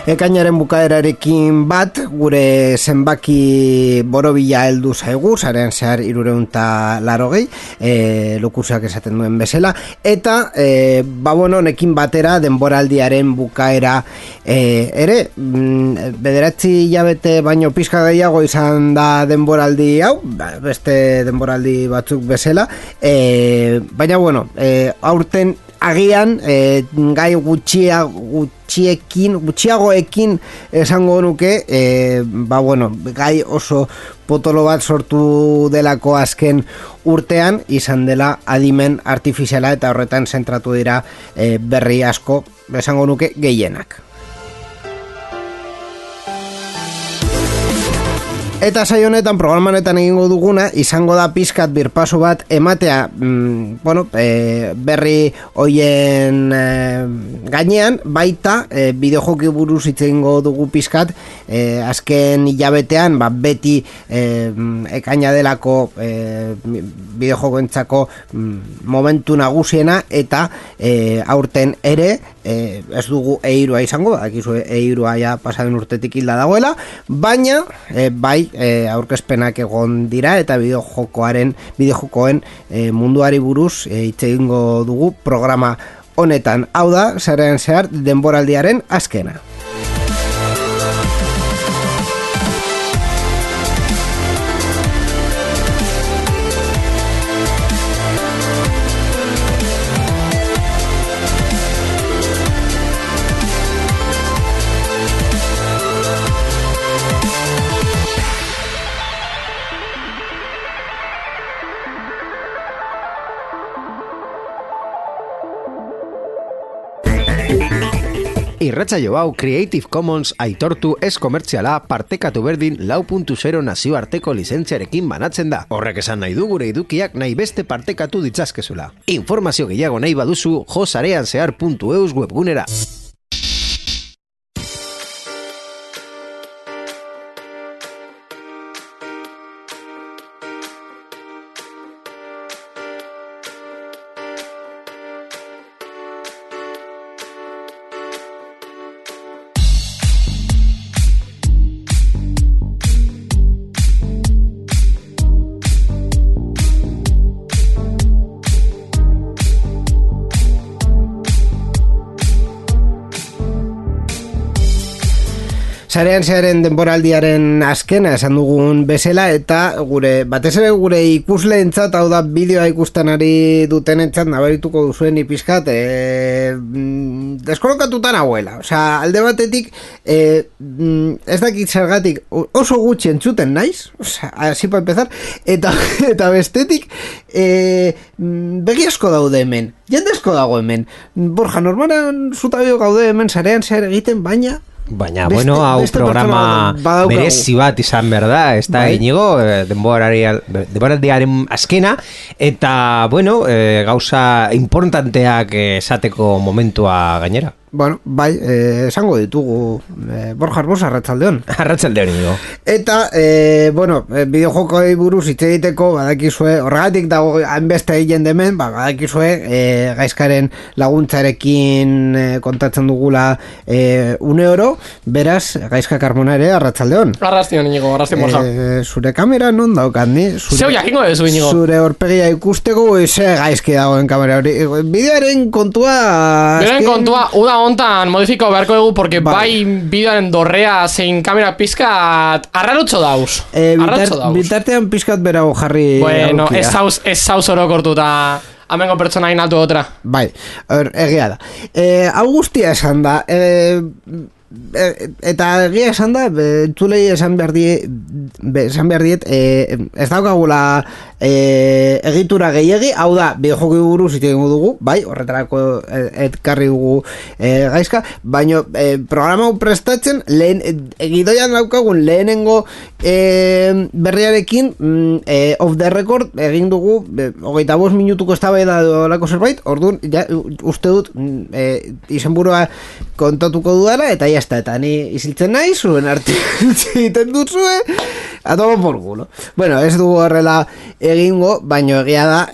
Ekainaren bukaerarekin bat, gure zenbaki borobila heldu zaigu, sarean zehar 380, lokusak esaten duen bezala, eta, honekin batera denboraldiaren bukaera ere, 9 hilabete baino pizka gehiago izan da denboraldi hau, beste denboraldi batzuk bezala, baina aurten agian gai gutxiagoekin esango nuke gai oso potolo bat sortu delako azken urtean izan dela adimen artifiziala eta horretan zentratu dira berri asko esango nuke gehienak. Eta saio honetan, programa honetan egingo duguna, izango da pizkat birpaso bat ematea, berri hoien gainean, baita bideojoki buruz hitz egingo dugu pizkat, azken hilabetean, beti ekaina delako bideojokoentzako momentu nagusiena, eta aurten ere, ez dugu eirua izango, akizu eirua ja pasaden urtetik hilda dagoela, baina bai aurkezpenak egon dira eta bideojokoen munduari buruz hitz egingo dugu programa honetan. Hau da, sarean zehar denboraldiaren azkena. Irratsaio hau Creative Commons aitortu ez komertziala partekatu berdin 4.0 nazioarteko lizentziarekin banatzen da. Horrek esan nahi du gure edukiak nahi beste partekatu ditzazkezula. Informazio gehiago nahi baduzu josareanzehar.eus webgunera. Sarean zearen denboraldiaren azkena esan dugun bezala, eta batez ere gure ikusleentzat, hau da bideoa ikusten ari dutenentzat nabarituko duzuen ipizkat deskolokatuta nagoela. Osea, alde batetik ez dakit zergatik oso gutxi entzuten naiz, osea, así para empezar, eta bestetik begi asko daude hemen, jende asko dago hemen. Borja, normalan zutabio gaude hemen sarean zehar egiten, baina hau programa merezi bat izan berda, ez da inigo, denboraldiaren azkena, eta, gauza importanteak esateko momentua gainera. Bai, esango ditugu Borja Arbos, arratsaldeon. Arratsaldeon, inigo. Eta, bideojokoi buruz hitz egiteko, badakizue, horregatik dago hainbeste egin demen, badakizue, gaizkaren laguntzarekin kontatzen dugula une oro, beraz, Gaizka Carmona ere, arratsaldeon. Arratsaldeon, inigo, arratsaldeon, Borja. Zure kamera non daukat, ni? Zeu jakingo dezu, inigo. Zure horpegia ikusteko, ze gaizki dagoen kamera hori. Bideoaren kontua... Bideoaren kontua, uda hontan modifiko beharko dugu, porque bai bideoaren dorrea zein kamera pizkat arrarotxo dauz. Bitartean pizkat berago jarri aukia. Ez zauz orokortuta amengo pertsonain altu otra. Bai, egia da. Hau guztia esan da, eta egia esan da, entzulei esan behar diet, ez daukagula egitura gehiegi, hau da, bideojoki buruz itengo dugu, bai, horretarako etkarri dugu gaizka, baina programa hau prestatzen, gidoian daukagun lehenengo berriarekin off the record egin dugu 25 minutuko eztabaida dolako zerbait, orduan uste dut izenburua kontatuko dudala eta jazta, eta ni iziltzen nahi zuen arte egiten duzue a todo por culo. Bueno, ez dugu horrela egingo, baino egia da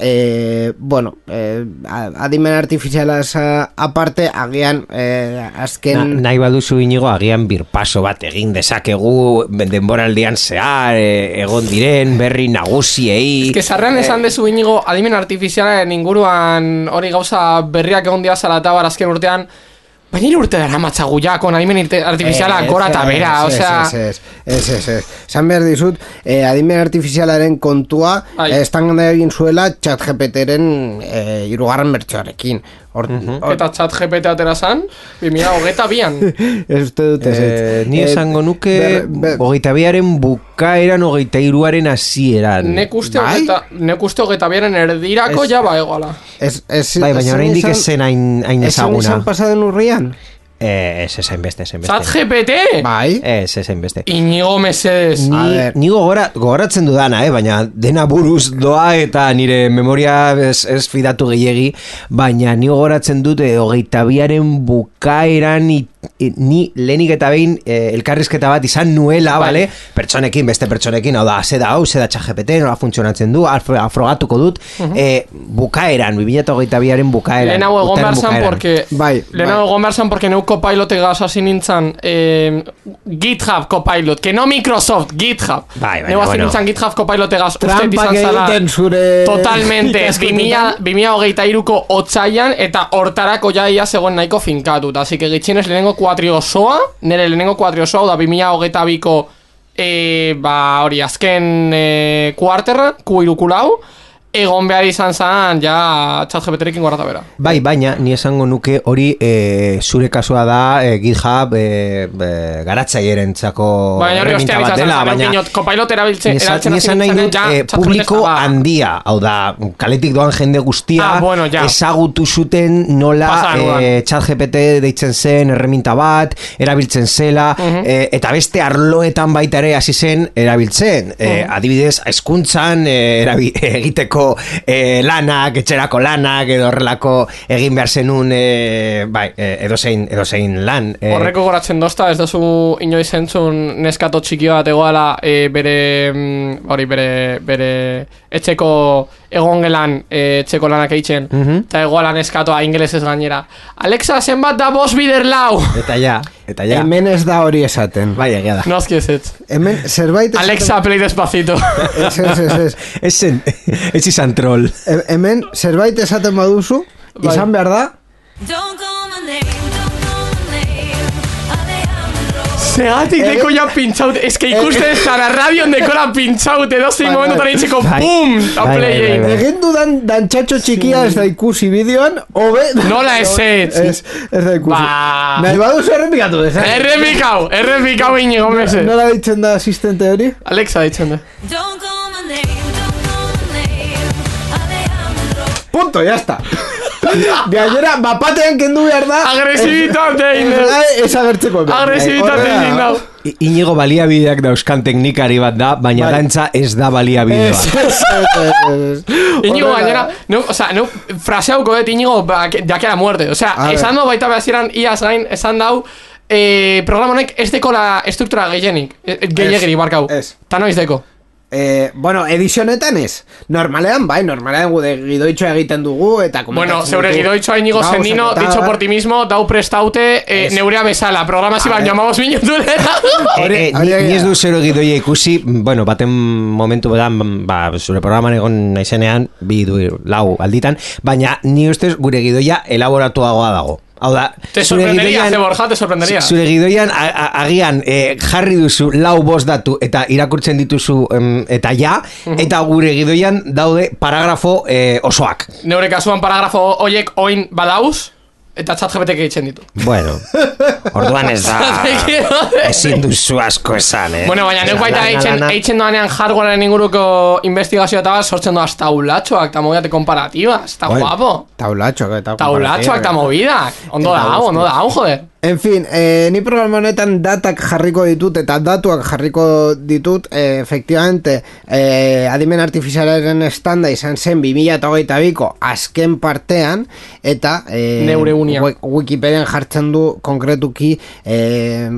adimen artifizialaz aparte agian azken nahi baduzu Inigo, agian birpaso bat egin dezakegu denboraldian zehar egon diren berri nagusiei. Ez que zarrean esan dezu Inigo, adimen artifizialaren inguruan hori gauza berriak egon dia zalatabar azken urtean, baina hiru urte dara matzagu ja, kon adimen artifiziala gora eta bera, osea... Esan behar dizut, adimen artifizialaren kontua, estan egin zuela ChatGPT-ren hirugarren bertsoarekin. Eta ChatGPT atera zan, 2022an. Ez dut ez. Ni esango nuke 22aren bukaeran 23aren hasieran. Nek uste 22aren erdirako ja ba egoala. Bai, baina oraindik ez zen hain ezaguna. Ez zen pasaden urrian? Ez beste. ChatGPT? Bai. Ez beste. Inigo mesedes. Ni gogoratzen dudana, baina dena buruz doa eta nire memoria ez fidatu gehiegi, baina ni gogoratzen dut 22aren bukaeran ni lehenik eta behin elkarrizketa bat izan nuela, bale? Pertsonekin, beste pertsonekin, hau da, zeda ChatGPT, nola funtzionatzen du, afrogatuko dut, bukaeran, 2022aren bukaeran. Lehenago egon behar zan, porque neu Copilot-egaz hasi nintzen GitHub Copilot, que no Microsoft, GitHub. Neu hasi nintzen GitHub Copilot-egaz ustet izan zala. Totalmente, 2023ko otsailan eta hortarako jaia zegoen nahiko finkatut. Así que gitxinez lehenengo kuatriosoa, nire lehenengo kuatriosoa, da 2022ko hori azken kuarterra, kuirukulau, egon behar izan zan, ja, ChatGPT-rekin gorata bera. Bai, baina, ni esango nuke hori zure kasua da GitHub garatzailearen txako herramienta bat dela, baina Copilot erabiltzen ni esan nahi dut publiko handia, hau da, kaletik doan jende guztia ezagutu zuten nola ChatGPT deitzen zen erreminta bat, erabiltzen zela, eta beste arloetan baita ere hasi zen erabiltzen. Adibidez, hezkuntzan egiteko lanak, etxerako lanak edo horrelako egin behar zenun edozein lan. Horreko goratzen dozta, ez dozu inoiz entzun neskato txiki bat egoala bere etxeko egongelan etxeko lanak eitzen, eta egoala neskatoa ingelesez gainera. Alexa, zenbat da bost bider lau? Eta ja. Hemen ez da hori esaten. Bai, egia da. Noski ez. Hemen zerbait... Alexa, play despacito. Ez izan troll. Hemen zerbait esaten baduzu, izan behar da... Segatik deko ja pintxaut, ez que ikusten ez zara radion dekola pintxaut, edo zein momentu itxeko pum, eta play. Egin dudan dantxatxo txikia ez da ikusi bideoan, hobe... Nola ez ez da ikusi. Nahi baduzu errepikatu dez, Errepikau Inigo mese. Nola ditzen da asistente hori? Alexa ditzen da. Punto, ya está. Gainera, bapatean kendu behar da. Agresibitate ez agertzeko. Agresibitate egin dau. Inigo baliabideak dauzkan teknikari bat da, baina dantza ez da baliabide bat. Inigo gainera, fraseauko dut Inigo dake la muerte. Esan dau baita behazieran iaz gain, esan dau programonek ez deko la estruktura gehiagiri barkau. Ta noiz deko. Bueno, edizionetan ez. Normalean gude gidoitxoa egiten dugu eta... Bueno, zeure gidoitxoa Inigo Sendino, dicho por ti mismo, dau prestaute neurea bezala, programasi baino amabos minutu Ni ez du zero gidoia ikusi, bueno, baten momentu bedan, zure programan egon naizenean, bi du lau alditan, baina ni ustez gure gidoia elaboratuagoa dago. Hau da, te sorprenderia. Zure gidoian agian jarri duzu lau bost datu eta irakurtzen dituzu eta eta gure gidoian daude paragrafo osoak. Neure kasuan paragrafo oiek oin badauz, Eta ChatGPT egiten ditu. Bueno, orduan ez da ezin duzu asko esan, Bueno, baina neuk baita eitzen doanean hardwarean inguruko investigazioa eta bat sortzen doaz taulatxoak eta movidak komparatiba, eta guapo. Taulatxoak eta movidak. Ondo da, joder. En fin, ni programa honetan datak jarriko ditut eta datuak jarriko ditut, efectivamente, adimen artifizialaren estanda izan zen 2022ko azken partean, eta Wikipedian jartzen du konkretuki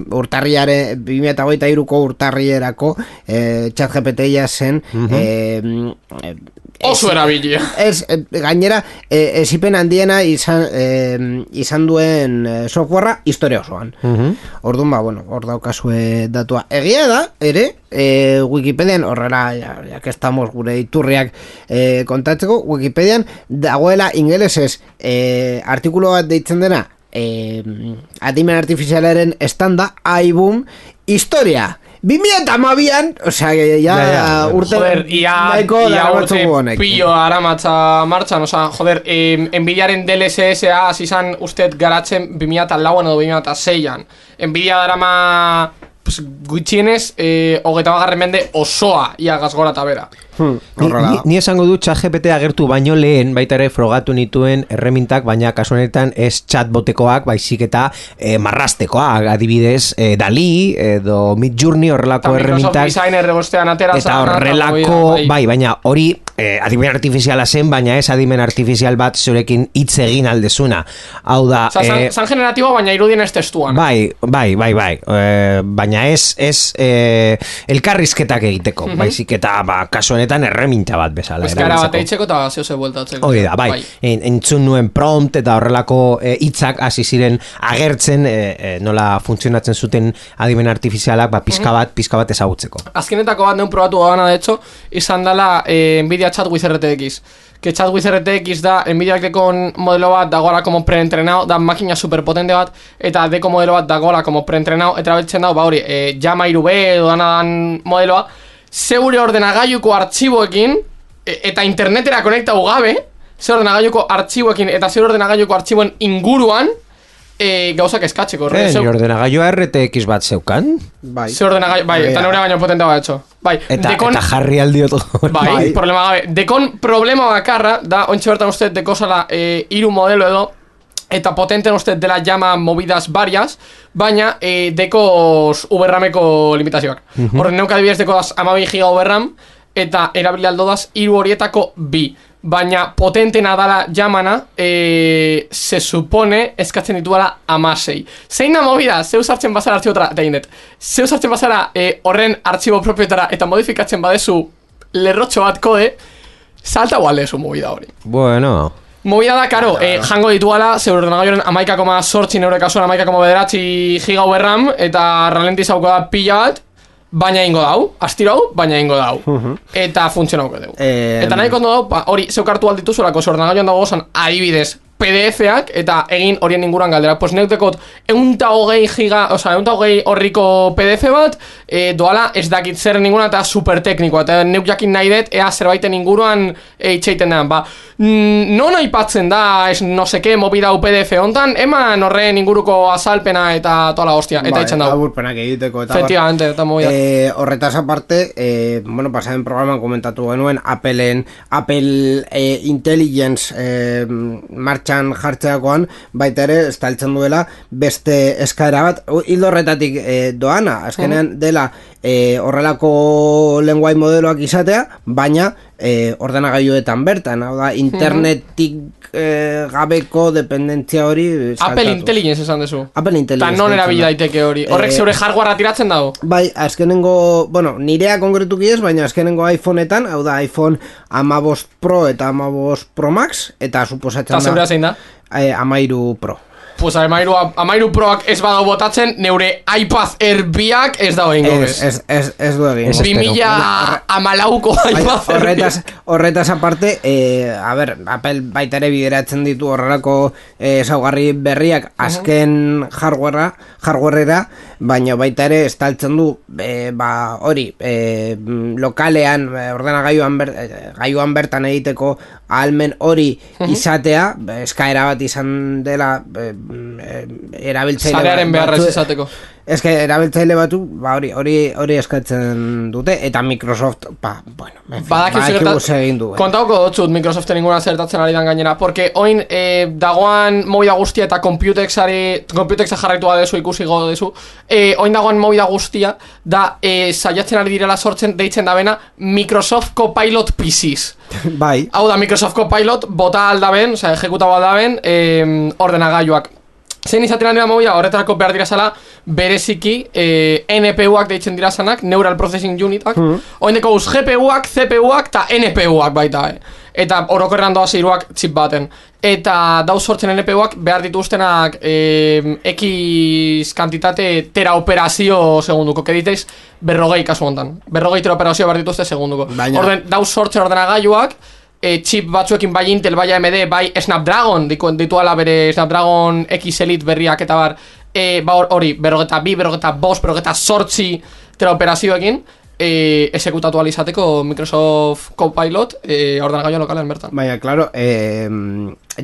urtarriare 2023ko urtarrierako ChatGPT-ia zen oso erabilia. Gainera, esipen handiena izan duen softwarea historia osoan. Orduan, hor daukazue datua. Egia da, ere, Wikipedian, horrela, ya que estamos gure iturriak kontatzeko, Wikipedian dagoela ingelesez artikulo bat deitzen dena adimen artifizialaren estanda, iBoom, historia. 2012an, osea, urte pillo aramatza martxan, osea, joder, Nvidiaren DLSS-a izan usted garatzen 2004an edo 2006an. Nvidia darama gutxienez, 20. mende osoa ia gazgora eta bera. Ni esango du ChatGPT agertu baino lehen baita ere frogatu nituen erremintak, baina kasu honetan ez chatbotekoak, baizik eta marrastekoak, adibidez Dali edo Midjourney horrelako erremintak eta horrelako, baina hori adimen artifiziala zen, baina ez adimen artifizial bat zurekin hitz egin aldezuna. Hau da, san generatiboa, baina irudien ez testuan. Bai, baina ez elkarrizketak egiteko, baizik eta kasu honetan erreminta bat bezala. Eskara bat eitzeko eta zehose bueltatzeko. Hori da, bai. Entzun nuen prompt eta horrelako hitzak hasi ziren agertzen nola funtzionatzen zuten adimen artifizialak, pizka bat ezagutzeko. Azkenetako bat neun probatu gana, de hecho, izan dela Nvidia ChatWiz RTX. Que ChatWiz RTX da Nvidia dekon modelo bat dagoela como preentrenado, da makina superpotente bat, eta deko modelo bat dagoela como preentrenado, eta beltzen dago, hori, Llama 3B edo danadan modeloa, zeure ordenagailuko artxiboekin eta internetera konektatu gabe, zeure ordenagailuko artxiboekin eta zeure ordenagailuko artxiboen inguruan gauzak eskatzeko. Ni ordenagailua RTX bat zeukan? Bai. Zeure ordenagailu, bai, eta neure baino potente bat etxo. Bai, eta jarri aldiot. Bai, problema gabe. Dekon problema bakarra da, ontsi bertan uste dekozala 3 modelo edo, eta potenten uste dela llama movidas varias, baina dekoz VRAMeko limitazioak. Horren neuk adibidez dekodaz 12 giga VRAM, eta erabili aldodaz 3 horietako 2. Baina potentena dala llamana, se supone eskatzen dituala 16. Zeina movida, zeu sartzen bazara artxibotara, eta indet, zeu sartzen bazara horren artxibo propietara eta modifikatzen badezu lerrotxo bat kode, salta gualdezu movida hori. Bueno... Movida da, karo, jango dituala, zeur ordenagailuaren 11,8 neure kasuan 11,9 giga VRAM, eta ralentizauko da pila bat, baina ingo dau, astiro hau, baina ingo dau. Eta funtzionauko dugu. Eta nahi kondo dau, hori zeukartu aldituzu lako, zeur ordenagailuan dago gozan adibidez PDF-ak, eta egin horien inguruan galdera. Pues neutekot 120 giga, oza, 120 horriko PDF bat, doala ez dakit zer ninguna eta super teknikoa, eta neuk jakin nahi dut, ea zerbaiten inguruan itxeiten den. Non aipatzen da, ez no seke, mobidau PDF hontan, eman horren inguruko azalpena eta toda la hostia, eta itxen dago. Aburpenak egiteko, eta efectivamente, eta movida. Horretaz aparte, pasaren programan komentatu genuen, Apple Intelligence martxan jartzeakoan, baita ere, estaltzen duela, beste eskaera bat, hildo horretatik doana, azkenean dela horrelako lenguai modeloak izatea, baina ordenagailuetan bertan, hau da, internetik gabeko dependentzia hori Apple Intelligence esan dezu. Apple Intelligence. Ta non erabil daiteke hori. Horrek zeure hardwarea tiratzen dago? Bai, azkenengo, nirea konkretuki ez, baina azkenengo iPhoneetan, hau da, iPhone 15 Pro eta 15 Pro Max, eta suposatzen da. Eta zeurea zein da? 13 Pro. Pues amairu proak ez badau botatzen, neure iPad Airbiak ez dago ingo bez. Ez du egin. 2014ko iPad Airbiak. Horretaz aparte, Apple baita ere bideratzen ditu horrelako ezaugarri berriak azken hardwarera, baina baita ere estaltzen du hori lokalean ordenagailuan bertan egiteko ahalmen hori izatea, eskaera bat izan dela erabiltzaile sarearen beharrez izateko. Eske erabiltzaile batu hori eskatzen dute eta Microsoft badakigu egin du. Kontauko dotzut Microsoften inguna zertatzen ari dan gainera, porque oin dagoan movida guztia eta Computexa jarraitu badezu ikusi godezu, oin dagoan movida guztia da saiatzen ari direla sortzen deitzen dabena Microsoft Copilot PCs. Bai. Hau da Microsoft Copilot bota aldaben, ejekutaba aldaben ordenagailuak. Zein izaten dira movida, horretarako behar dira zala bereziki NPU-ak deitzen dira zanak, Neural Processing Unitak, oindeko GPU-ak, CPU-ak eta NPU-ak baita, eta orokorrean doaz iruak txip baten. Eta dauz sortzen NPU-ak behar dituztenak X kantitate teraoperazio segunduko, que diteiz 40 kasu hontan. 40 teraoperazio behar dituzte segunduko. Orden, dauz sortzen ordenagailuak, chip batzuekin bai Intel, bai AMD, bai Snapdragon, dituala bere Snapdragon X Elite berriak eta hori, 42, 48 teraoperazioekin exekutatu alizateko Microsoft Copilot ordenagailu lokalean bertan. Baina, claro,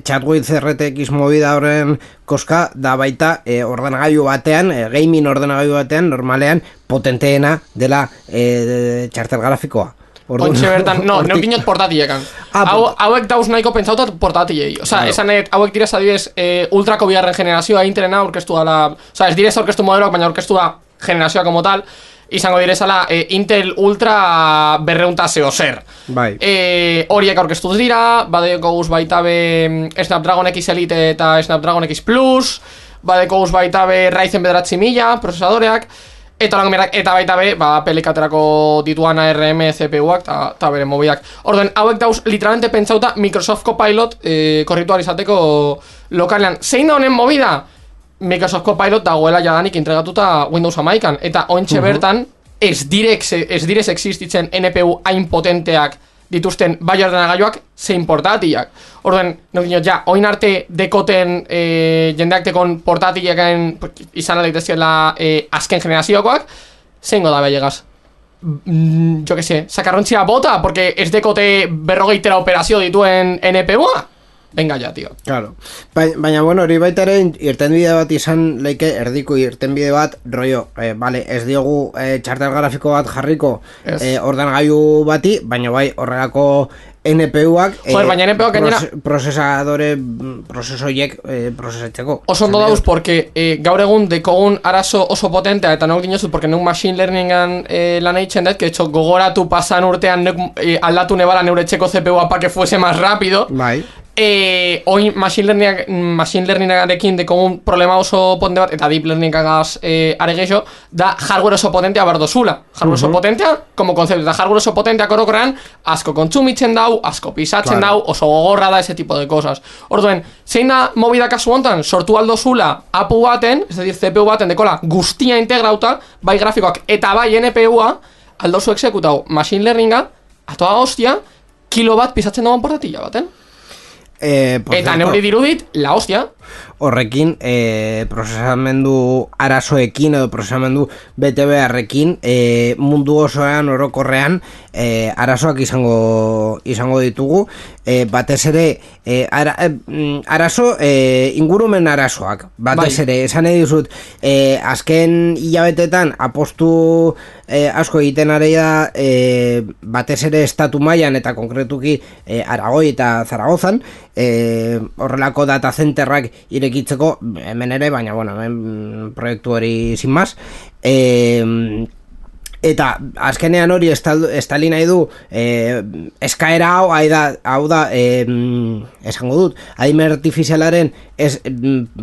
Chatwith RTX movida horren koska da baita ordenagailu batean, gaming ordenagailu batean, normalean potenteena dela txartel grafikoa. Ontxe bertan, neukinot portatiekan. Hauek dauz nahiko pentsautat portatiei. Osa, esanet, hauek direz adibidez ultrako bigarren generazioa Intelena aurkeztu dala. Osa, ez direz aurkeztu modeloak, baina aurkeztu da generazioa como tal. Izango direzala Intel Ultra 200 zer. Bai. Horiek aurkeztu dira, badeko guz baita be Snapdragon X Elite eta Snapdragon X Plus, badeko guz baita be Ryzen 9000 procesadoreak, eta baita be, pelikaterako dituan ARM CPU-ak eta bere mobiak. Orden, hauek dauz literalmente pentsauta Microsoft Copilot korritual izateko lokalean. Zein da honen movida? Microsoft Copilot dagoela jadanik entregatuta Windows 11an, eta ointxe bertan ez direz existitzen NPU hain potenteak dituzten bai ordenagailuak zein portatiak. Orden, oin arte dekoten jendeak dekon portatilekan izan aleitezkela azken generazioakoak, zein goda belegaz? Jo que sé, sakarrontzia bota, porque ez dekote 40 teraoperazio dituen NPU-a? Venga ya, tío. Claro. Baina, bueno, hori baita ere irtenbide bat izan leike, erdiko irtenbide bat, rollo, vale, ez diogu txartel grafiko bat jarriko ordenagailu bati, baina bai horrelako NPU-ak baina NPU-ak gainera prozesoiek prozesatzeko. Oso ondo dauz, porque gaur egun dekogun arazo oso potentea, eta nok dinozut, porque neuk machine learningan lan eitzen dut, que etxo gogoratu pasan urtean aldatu nebala neure txeko CPU-a pa que fuese más rápido. Bai. Hoy machine learningarekin dekogun problema oso potente bat, eta deep learningagaz are gehiago, da hardware oso potentea bardozula. Hardware oso potentea, como concepto, eta hardware oso potentea korokorrean asko kontsumitzen dau, asko pisatzen dau, oso gogorra da, ese tipo de cosas. Orduen, zein da movida kasu hontan, sortu aldozula APU baten, es decir, CPU baten dekola guztia integrauta, bai grafikoak eta bai NPU-a, aldozu exekutau machine learninga, atoa hostia, kilo bat pisatzen dagoen portatila baten. Eta neuri dirudit, la hostia. Horrekin, prozesamendu arazoekin edo prozesamendu BTB-arrekin mundu osoan orokorrean arazoak izango ditugu, batez ere arazo ingurumen arazoak, batez ere esan nahi dizut, azken hilabetetan apostu asko egiten areia batez ere estatu mailan eta konkretuki Aragoi eta Zaragozan, horrelako data centerrak irekitzeko hemen ere, baina bueno, hemen proiektu hori sin más, eta azkenean hori estali nahi du eskaera hau da esango dut, adimen artifizialaren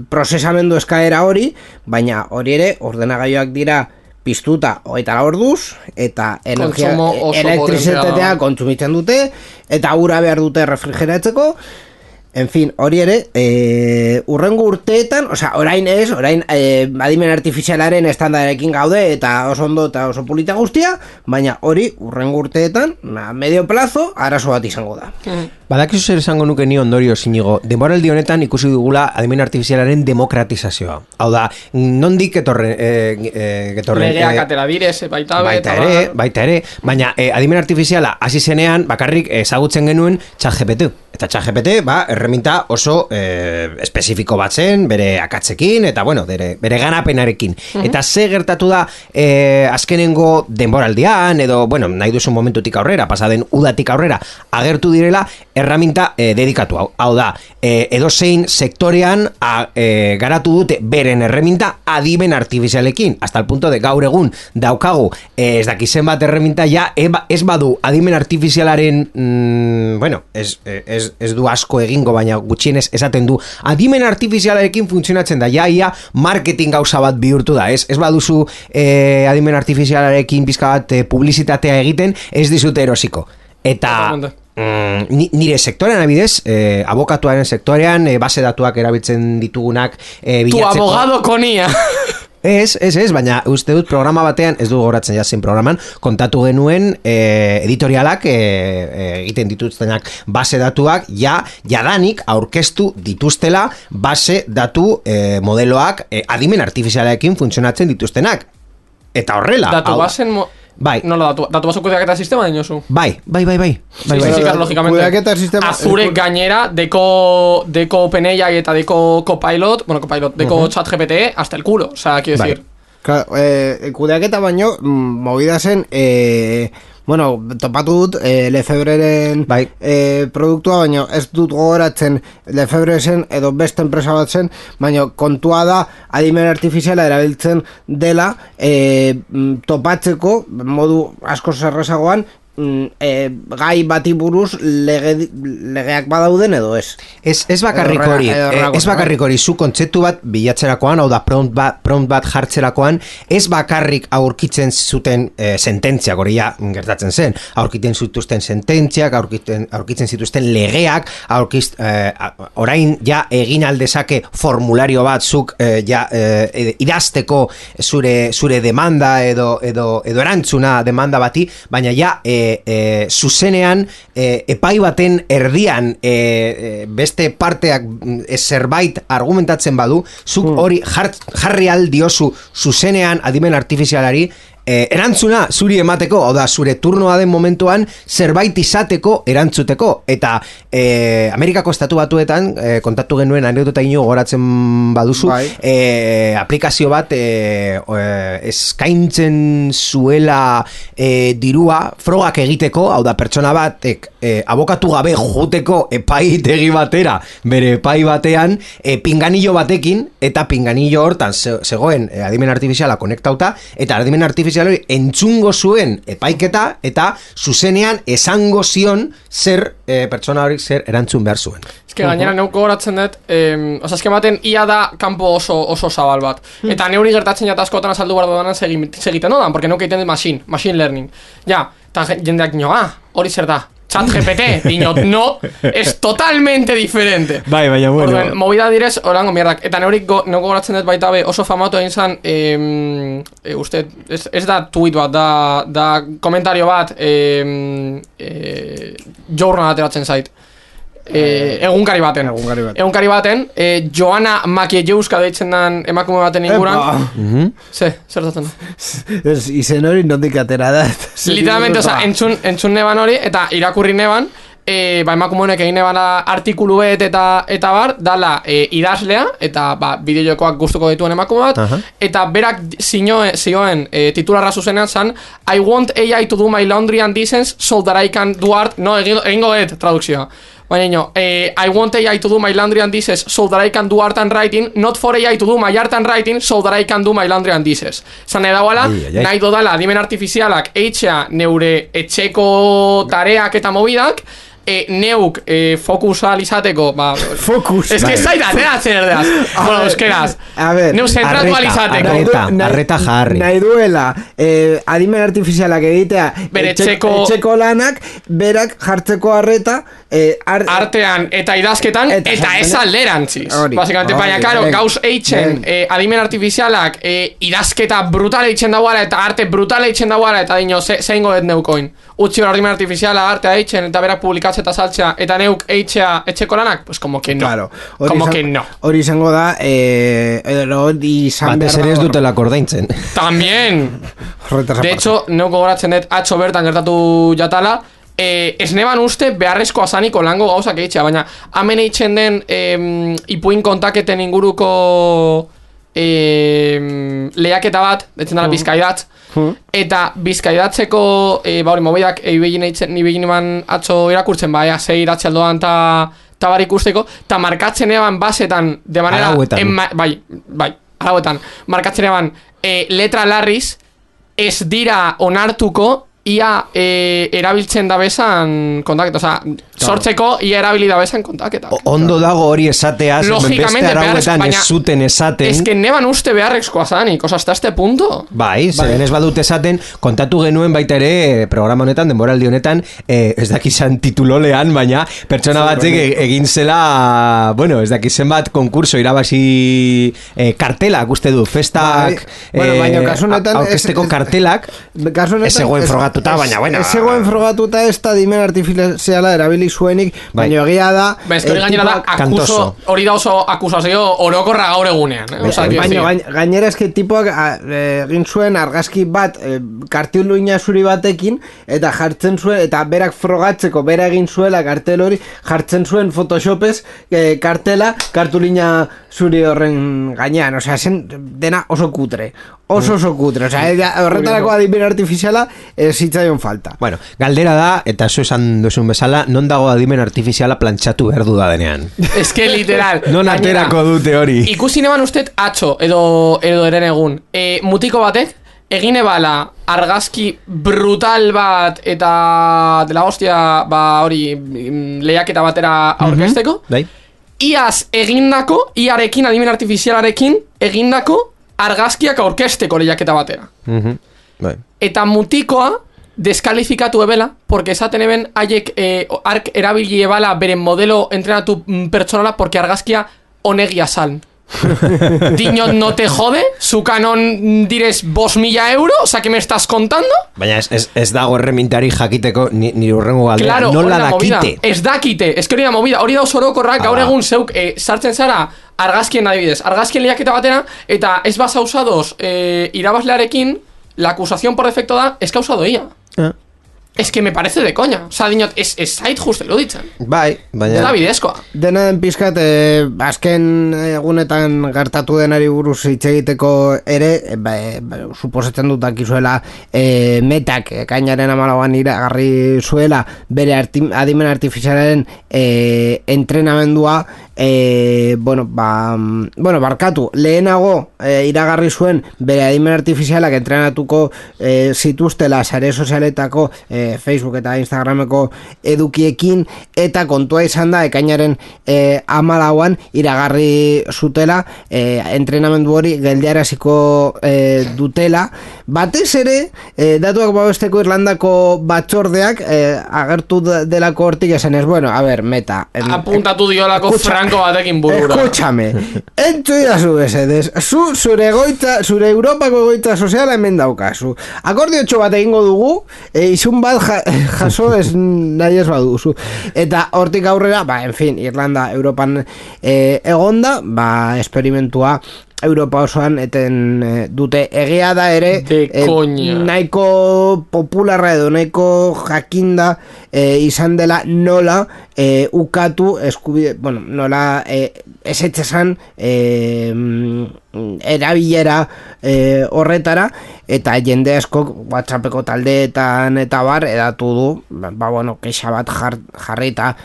prozesamendu eskaera hori, baina hori ere ordenagailuak dira piztuta 24 orduz eta elektrizitatea kontsumitzen dute eta ura behar dute refrigeratzeko. En fin, hori ere, urrengo urteetan, orain adimen artifizialaren estandarekin gaude eta oso ondo eta oso polita guztia, baina hori urrengo urteetan, medio plazo, arazo bat izango da. Badakizu zer esango nuke ni ondorio sinigo, denboraldi honetan ikusi dugula adimen artifizialaren demokratizazioa. Hau da, nondik getorren... Legeak atera direz, baita ere, baina adimen artifiziala hasi zenean bakarrik ezagutzen genuen ChatGPT. Eta ChatGPT, erreminta oso espezifiko bat zen, bere akatzekin, eta bueno, bere ganapenarekin. Eta ze gertatu da azkenengo denboraldian, edo, bueno, nahi duzun momentutik aurrera, pasaden udatik aurrera, agertu direla erraminta dedikatu hau. Hau da, edozein sektorean garatu dute beren erreminta adimen artifizialekin, hasta el punto de gaur egun daukagu ez dakizen bat erreminta ja ez badu adimen artifizialaren bueno, ez du asko egingo, baina gutxienez esaten du adimen artifizialarekin funtzionatzen da, ia marketing gauza bat bihurtu da, ez baduzu adimen artifizialarekin pizka bat publizitatea egiten, ez dizute erosiko. Eta nire sektorean abidez, abokatuaren sektorean, base datuak erabiltzen ditugunak bilatzeko. Tu abogado konia! Ez, baina uste dut programa batean, ez du goratzen jazen programan, kontatu genuen editorialak egiten dituztenak base datuak, jadanik aurkeztu dituztela base datu modeloak adimen artifizialarekin funtzionatzen dituztenak. Eta horrela... Datu basen... Bai. No, datu baso kudeaketa sistema dinosu. Bai. Lógicamente, Azure gainera, deko OpenAI eta deko Copilot, deko ChatGPT, hasta el culo, quiero decir. Kudeaketa baino, movida zen, topatu dut Lefebreren produktua, baina ez dut gogoratzen Lefebre zen edo beste enpresa bat zen, baina kontua da adimen artifiziala erabiltzen dela topatzeko modu asko zerrezagoan gai bati buruz legeak badauden edo ez. Ez bakarrik hori, zu kontzeptu bat bilatzerakoan, hau da prompt bat jartzerakoan, ez bakarrik aurkitzen zuten sententziak, hori ja gertatzen zen, aurkitzen zituzten sententziak, aurkitzen zituzten legeak, orain ja egin aldezake formulario bat zuk idazteko zure demanda edo erantzuna demanda bati, baina ja zuzenean epai baten erdian beste parteak zerbait argumentatzen badu, zuk hori jarri aldiozu zuzenean adimen artifizialari erantzuna zuri emateko, hau da, zure turnoa den momentuan zerbait izateko erantzuteko, eta Amerikako estatu batuetan kontatu genuen anekdota ino goratzen baduzu, aplikazio bat eskaintzen zuela dirua frogak egiteko, hau da, pertsona batek abokatu gabe joteko epaitegi batera, bere epai batean pinganillo batekin, eta pinganillo hortan zegoen adimen artifiziala konektauta, eta adimen artifiziala entzungo zuen epaiketa eta zuzenean esango zion zer pertsona horik zer erantzun behar zuen. Eske gainera neuko goratzen dut, eske maten ia da kanpo oso zabal bat. Eta neuri gertatzen jata askotan azaldu behar dudanan segiten dodan, porque neuko egiten dut machine learning. Ja, eta jendeak nio, hori zer da. ChatGPT, diñot, no, es totalmente diferente. Bai, baina bueno. Orden, movida direz, orango mierdak. Eta neurik neuko goratzen dut baita be oso famatu egin zan, uste, ez da tweet bat, da komentario bat, journal ateratzen zait. Egunkari baten Joana Makiejeuska deitzen dan emakume baten inguran. Zer datzen da? Izen hori nondik atera da. Literalmente, entzun neban hori eta irakurri neban, emakume honek egin neban artikulu eta bar, dala idazlea eta bideojokoak gustuko dituen emakume bat, eta berak zioen titularra zuzenean zan, I want AI to do my laundry and dishes so that I can do art, no, egingo tradukzioa. Baina, I want AI to do my laundry and dishes so that I can do art and writing, not for AI to do my art and writing so that I can do my laundry and dishes. Zan edauala, nahi dodala adimen artifizialak eitxea neure etxeko tareak eta mobidak, neuk fokusa alizateko, fokus. Ez que zaita, ateratzen erdeaz. Bueno, euskeraz. Neuk zentratu alizateko. Arreta jarri. Nahi duela, adimen artifizialak egitea, etxeko lanak, berak jartzeko arreta, artean eta idazketan, eta ez alderantziz. Basikamente, baina, karo, gauz eitzen, adimen artifizialak, idazketa brutal eitzen dagoara, eta arte brutal eitzen dagoara, eta dino, zeingo ez neukoin. Utsi hor adimen artifiziala, artea eitzen, eta berak publikatzea eta saltzea, eta neuk eitzea etxeko lanak, pues como que no. Claro. Hori izango da, batez ere ez dutela kordaintzen. También. De hecho, neuko goratzen dut, atxo bertan gertatu jatala, ez neban uste beharrezkoa zaniko lango gauzak eitzea, baina hemen eitzen den ipuin kontaketen inguruko lehiaketa bat, detzen dara Bizkaidatz, eta Bizkaidatzeko hori mobidak ibegin eman atzo irakurtzen, zei iratxe aldoan eta bar ikusteko, eta markatzen eban basetan de manera arauetan markatzen eban letra larriz ez dira onartuko ia erabiltzen dabesan kontaketa, oza, sortzeko ia erabili dabesan kontaketa. Ondo dago hori esateaz, beste arauetan ez zuten esaten. Ez que neban uste beharrezkoa zanik, oza, hasta este punto. Bai, zeren ez badut esaten, kontatu genuen baita ere, programa honetan, denboraldi honetan, ez dakizan titulolean, baina pertsona batzek egin zela, bueno, ez dakizen bat konkurso irabazi kartelak, uste du, festak, aurkezteko kartelak, ez zegoen frogatu. Baina, bueno, ez zegoen frogatuta ez da dimen artifiziala erabili zuenik, baina egia da hori gainera da hori da oso akusazio orokorra gaur egunean, baina gainera eske tipoak egin zuen argazki bat kartuluina zuri batekin eta jartzen zuen, eta berak frogatzeko bera egin zuela kartel hori jartzen zuen photoshopez kartela kartulina zuri horren gainean, osea, zen dena oso kutre, oso kutre, osea, horretarako adimen artifiziala zitzaion falta. Bueno, galdera da, eta zu esan duzun bezala, non dago adimen artifiziala plantxatu behar du da denean. Ez que literal. Non aterako dute hori. Ikusi neban usted atxo, edo eren egun. Mutiko batek, egine bala argazki brutal bat eta dela hostia, hori lehiaketa batera aurkezteko. Iaz egindako, iarekin, adimen artifizialarekin, egindako argazkiak aurkezteko lehiaketa batera. Eta mutikoa deskalifikatu ebela, porque esaten eben haiek ark erabili ebala beren modelo entrenatu pertsonala, porque argazkia onegia sal. Diño, no te jode, su canon direz 5.000 euro, o sea, que me estás contando? Baina ez dago erremintari jakiteko ni urrengo galdera, claro, nola dakite. Ez dakite, ez que hori da movida, hori da osorokorrak, gaur egun zeuk sartzen zara argazkien adibidez, argazkien lehiaketa batera, eta ez basa usados irabazlearekin, la acusación por defecto da, es causado ella. Es que me parece de coña. O sea, dinot, es zait justo iruditzen. Bai, baina... Ez da bidezkoa. Dena den pizkat, azken egunetan gertatu denari buruz hitz egiteko ere, suposatzen dut dakizuela metak ekainaren 14an iragarri zuela bere adimen artifizialaren entrenamendua barkatu, lehenago iragarri zuen bere adimen artifizialak entrenatuko zituztela sare sozialetako Facebook eta Instagrameko edukiekin, eta kontua izan da ekainaren 14an iragarri zutela entrenamendu hori geldiaraziko dutela, batez ere datuak babesteko Irlandako batzordeak agertu delako hortik esanez, bueno, a ver, meta apuntatu diolako franko batekin burura. Escúchame, entzu idazu esedez, zure Europako egoitza soziala hemen daukazu, akordiotxo bat egingo dugu, izun bat jaso ez nahi ez baduzu, eta hortik aurrera, en fin, Irlanda Europan egonda, esperimentua Europa osoan eten dute, egia da ere nahiko popularra edo nahiko jakinda izan dela nola ukatu eskubide, bueno, nola esetxesan erabilera horretara, eta jende askok WhatsAppeko taldeetan eta bar edatu du, kexa bat jarrita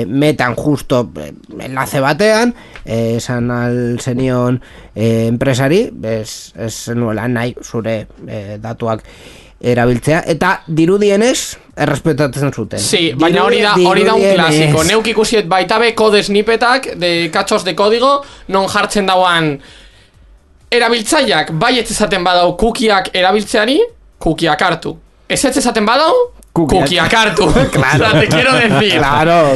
metan justo enlace batean, esan alzenion enpresari, ez nuela nahi zure datuak erabiltzea, eta dirudienez errespetatzen zuten. Sí, baina hori da un klasiko. Neuk ikusiet baita be kode snippetak de kachos de kodigo non jartzen dauan erabiltzaileak bai ez esaten badau kukiak erabiltzeari, kukiak hartu. Ez esaten badau, kukiak hartu. Claro. O sea, te quiero decir.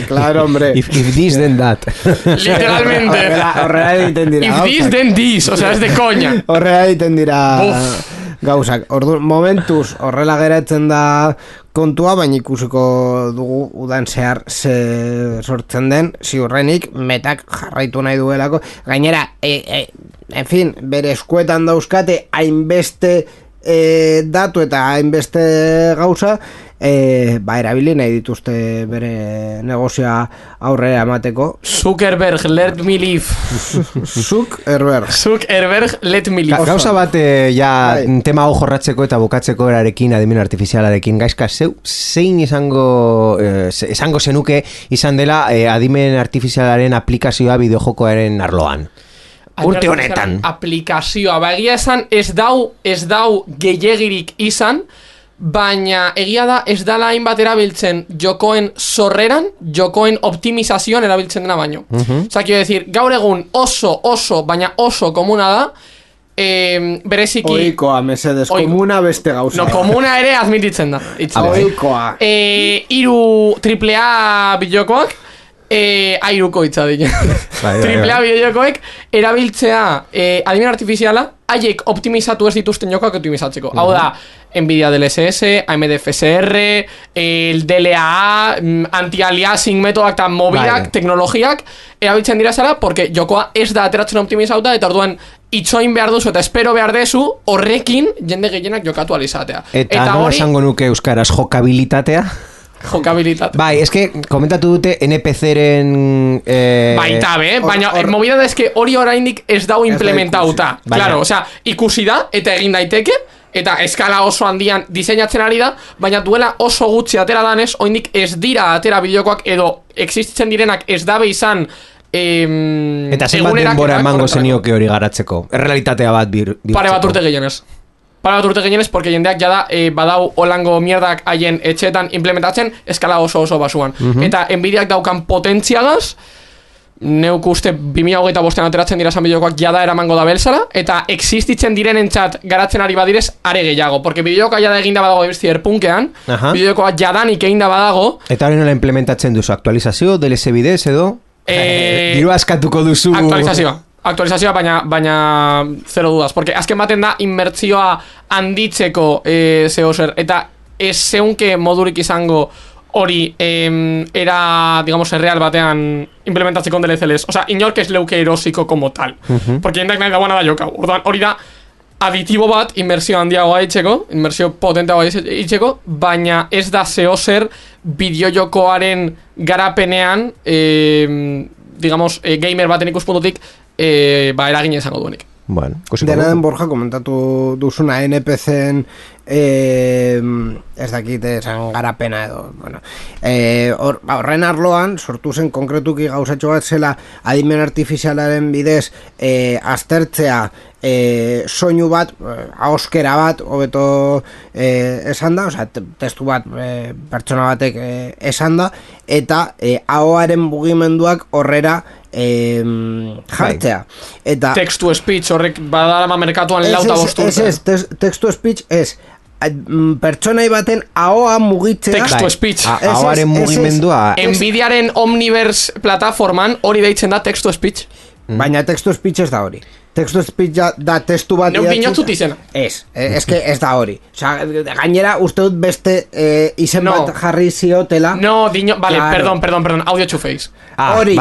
Claro, hombre. If this, then that. Literalmente. Horrela egiten dira. If this, then this. O sea, es de coña. Horrela egiten dira gauzak. Momentuz horrela geratzen da kontua, baina ikusiko dugu udan zehar sortzen den, ziurrenik metak jarraitu nahi duelako. Gainera, en fin, bere eskuetan dauzkate hainbeste datu eta hainbeste gauza, erabili nahi dituzte bere negozioa aurrera emateko. Zuckerberg, let me live. Zuckerberg, let me live. Gauza bat tema hau jorratzeko eta bukatzeko erarekin, adimen artifizialarekin, gaizka zein esango zenuke izan dela adimen artifizialaren aplikazioa bideojokoaren arloan? Urte honetan. Aplikazioa, egia esan ez dau gehiagirik izan, baina egia da ez dala hainbat erabiltzen jokoen sorreran, jokoen optimizazioan erabiltzen dena baino. Osa, quiero decir, gaur egun baina oso komuna da, bereziki... Oikoa, mesedes, komuna beste gauza. No, komuna ere admititzen da. Oikoa. 3 AAA bideokoak, airuko hitza dira. Triplea bideojokoek erabiltzea adimen artifiziala haiek optimizatu ez dituzten jokoak optimizatzeko. Hau da, Nvidia DLSS, AMD FSR, el DLA, anti-aliasing metodak eta mobilak, teknologiak erabiltzen dira zara, porque jokoa ez da ateratzen optimizauta, eta orduan itxoin behar duzu eta espero behar dezu horrekin jende gehienak jokatu alizatea. Eta no esango nuke euskaraz jokabilitatea? Jokabilitate. Bai, eske komentatu dute NPC-ren baita baina movida da eske hori oraindik ez dau implementauta. Claro, o sea, ikusi da eta egin daiteke eta eskala oso handian diseinatzen ari da, baina duela oso gutxi atera danez, oraindik ez dira atera bideokoak edo existitzen direnak ez dabe izan eta zenbat denbora emango zenioke hori garatzeko. Errealitatea bat pare bat urte gehienez. Porque jendeak jada badau holango mierdak haien etxeetan implementatzen eskala oso basuan. Eta Nvidiak daukan potentziagaz, neuk uste 2025an ateratzen dira bideokoak jada eramango da belzara, eta existitzen direnentzat garatzen ari badirez are gehiago. Porque bideokoa jada eginda badago Cyberpunkean, bideokoa jadanik eginda badago. Eta hori nola implementatzen duzu? Aktualizazio, DLC bidez edo? Diru askatuko duzu... Aktualizazioa, baina zero dudas, porque azken baten da inmertzioa handitzeko zeo zer, eta ez zeunke modurik izango hori era, digamos, erreal batean implementatzeko DLC-les. O sea, inork ez leuke erosiko como tal. Porque jendak nahi dagoena da jokau. Orduan, hori da aditibo bat inmersio handiagoa itxeko, inmersio potenteagoa itxeko, baina ez da zeo zer bideojokoaren garapenean, digamos, gamer baten ikuspuntutik, eragin izango duenik. Bueno, dena den Borja komentatu duzuna NPC-en ez dakit esan garapena edo horren arloan sortu zen konkretuki gauzatxo bat zela adimen artifizialaren bidez aztertzea soinu bat, ahoskera bat hobeto esan da, osea, testu bat pertsona batek esan da, eta ahoaren mugimenduak horrera jartzea. Eta text to speech horrek badalama merkatuan lauta bosturte. Text to speech ez pertsonai baten ahoa mugitzea. Text to speech. Ahoaren mugimendua. Nvidiaren Omniverse plataforman hori deitzen da text to speech. Baina text to speech ez da hori. Text to speech da testu bat idatzuta izena. Ez que ez da hori. Osea, gainera uste dut beste izen bat jarri ziotela. No, vale, claro. Perdón, audio to face. Hori,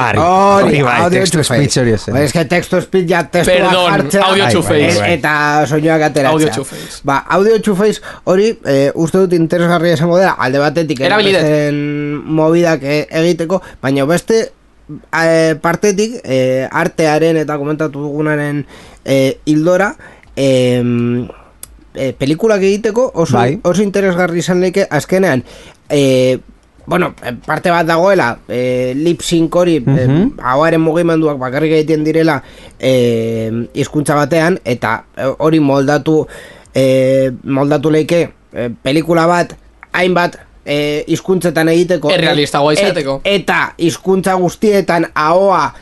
text to speech hori ez. Ez que text to speech ja testu bat jartzea. Audio to face. Eta soinuak ateratzea. Audio to face. Audio to face hori uste dut interesgarria izango dela, alde batetik movidak egiteko, baina beste partetik artearen eta komentatu dugunaren hildora pelikulak egiteko oso interesgarri izan leke azkenean parte bat dagoela lip sync hori hauaren mugimenduak bakarrik egiten direla hizkuntza batean eta hori moldatu leike pelikula bat hainbat hizkuntzetan egiteko errealistagoa izateko eta hizkuntza guztietan ahoa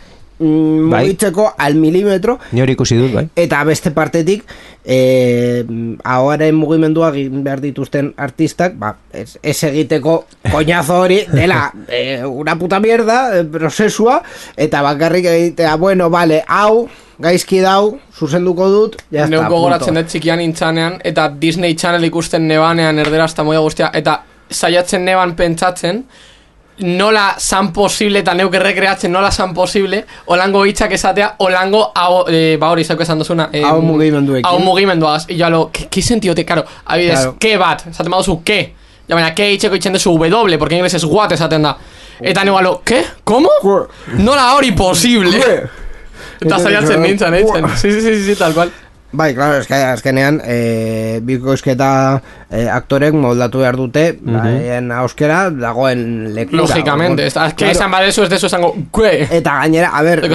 mugitzeko al milimetro. Ni hori ikusi dut, bai. Eta beste partetik ahoaren mugimendua behar dituzten artistak ez egiteko koñazo hori dela una puta mierda prozesua eta bakarrik egitea bueno, vale, hau gaizki dau, zuzenduko dut ya está, neuko goratzen dut txikian intzanean eta Disney Channel ikusten nebanean erderazta moia guztia eta saiatzen neban pentsatzen nola san posible eta neuke rekreatzen nola san posible olango hitzak esatea olango hori izako esan duzuna hau mugimenduekin hau mugimenduagaz y yo lo ¿qué sentido te claro abides claro. ¿Qué bat? esaten baduzu ¿qué? ya baina ¿qué hitzeko itzen dezu W porque en inglés es what esaten da eta neualo ¿qué? ¿cómo? nola hori posible eta saiatzen nintzen sí tal cual bai, claro, azkenean bikoizketa aktorek moldatu behar dute en euskera dagoen lekura. Lógicamente, es que esan badezu ez dezu esango kue. Eta gainera, a ver,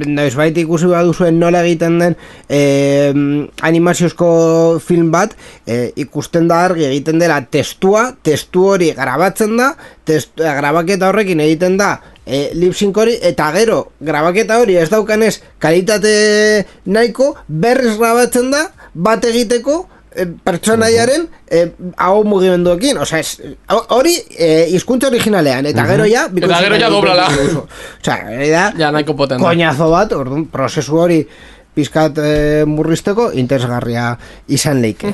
noizbait ikusi baduzuen nola egiten den animaziozko film bat, ikusten da argi egiten dela testu hori grabatzen da, grabaketa horrekin egiten da lip-sync hori, eta gero grabaketa hori ez daukanez kalitate nahiko berriz grabatzen da bat egiteko pertsonaiaren hau mugimenduekin, hori hizkuntza originalean, eta gero ja doblala ja nahiko potente koñazo bat, orduan prozesu hori pizkat murrizteko interesgarria izan leike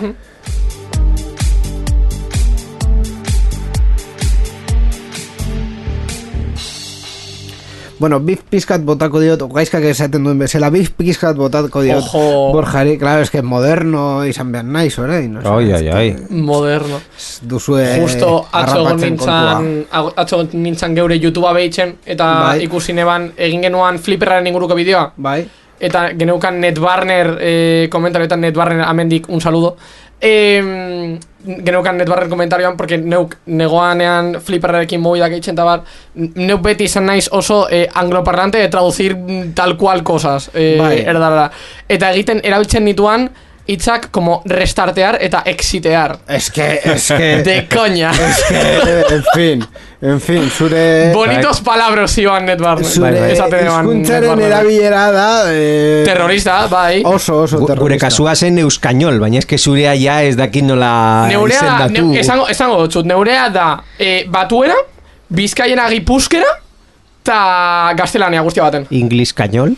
bueno, bif pizkat botako diot, gaizkak esaten duen bezala, bif pizkat botako diot Borjari, claro, es que moderno izan behar naiz, orain. Moderno. Duzue justo atzo nintzan geure YouTubea behitzen, eta ikusi neban egin genuan Flipperraren inguruko bideoa. Bai. Eta geneukan NetBarner komentarioetan, NetBarner amendik un saludo. Geneukan NetBarner komentarioan porque neuk negoanean Flipperrekin movidak eitzen eta bar neuk beti izan naiz oso angloparlante de traducir tal cual cosas erdara eta egiten erabiltzen nituan hitzak como restartear eta exitear es que de coña en fin, zure bonitos palabras iban NetBarner zure hizkuntzaren erabilera da terrorista, bai oso terrorista gure kasua zen euskainol, baina eske zurea ja ez dakit nola izendatu esango dutxut, neurea da batuera, bizkaiena gipuzkera eta gaztelania guztia baten ingliskainol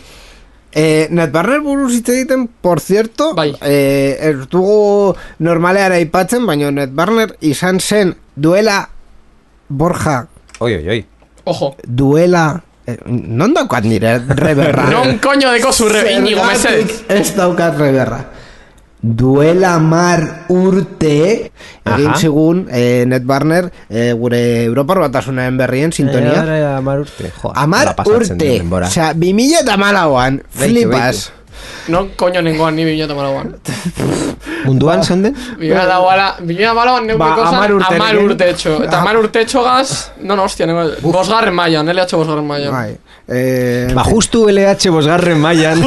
NetBarner buruz hitz egiten, por cierto ez dugu normalean aipatzen, baina NetBarner izan zen duela Borja ojo duela non daukat nire reberra non coño deko zu Íñigo mesedez ez daukat reberra duela 10 urte egin zigun NetBarner gure Europar Batasunaren berrien sintonia 10 urte 10 urte, osea 2014an flipas non coño nengoan ni 2014an munduan zenden? 2014an neuke kosan 10 urte etxo eta 10 urte etxo gaz hostia, bosgarren mailan LH bosgarren mailan justu LH bosgarren mailan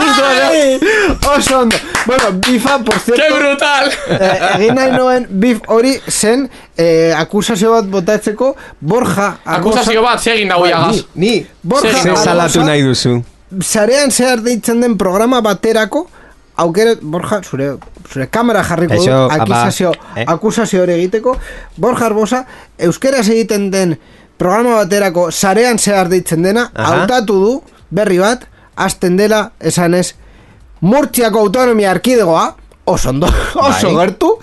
oso ondo bueno, bifa, por cierto ¡qué brutal! Egin nahi noen bif hori zen akusazio bat botatzeko Borja akusazio bat zegin dago jagaz ni Borja salatu nahi duzu zarean zehar deitzen den programa baterako aukera, Borja, zure kamera jarriko du akusazio hori egiteko Borja Arbosa, euskeraz egiten den programa baterako zarean zehar deitzen dena, hautatu du berri bat, hasten dela esanez Murtziako autonomia erkidegoa oso ondo, oso gertu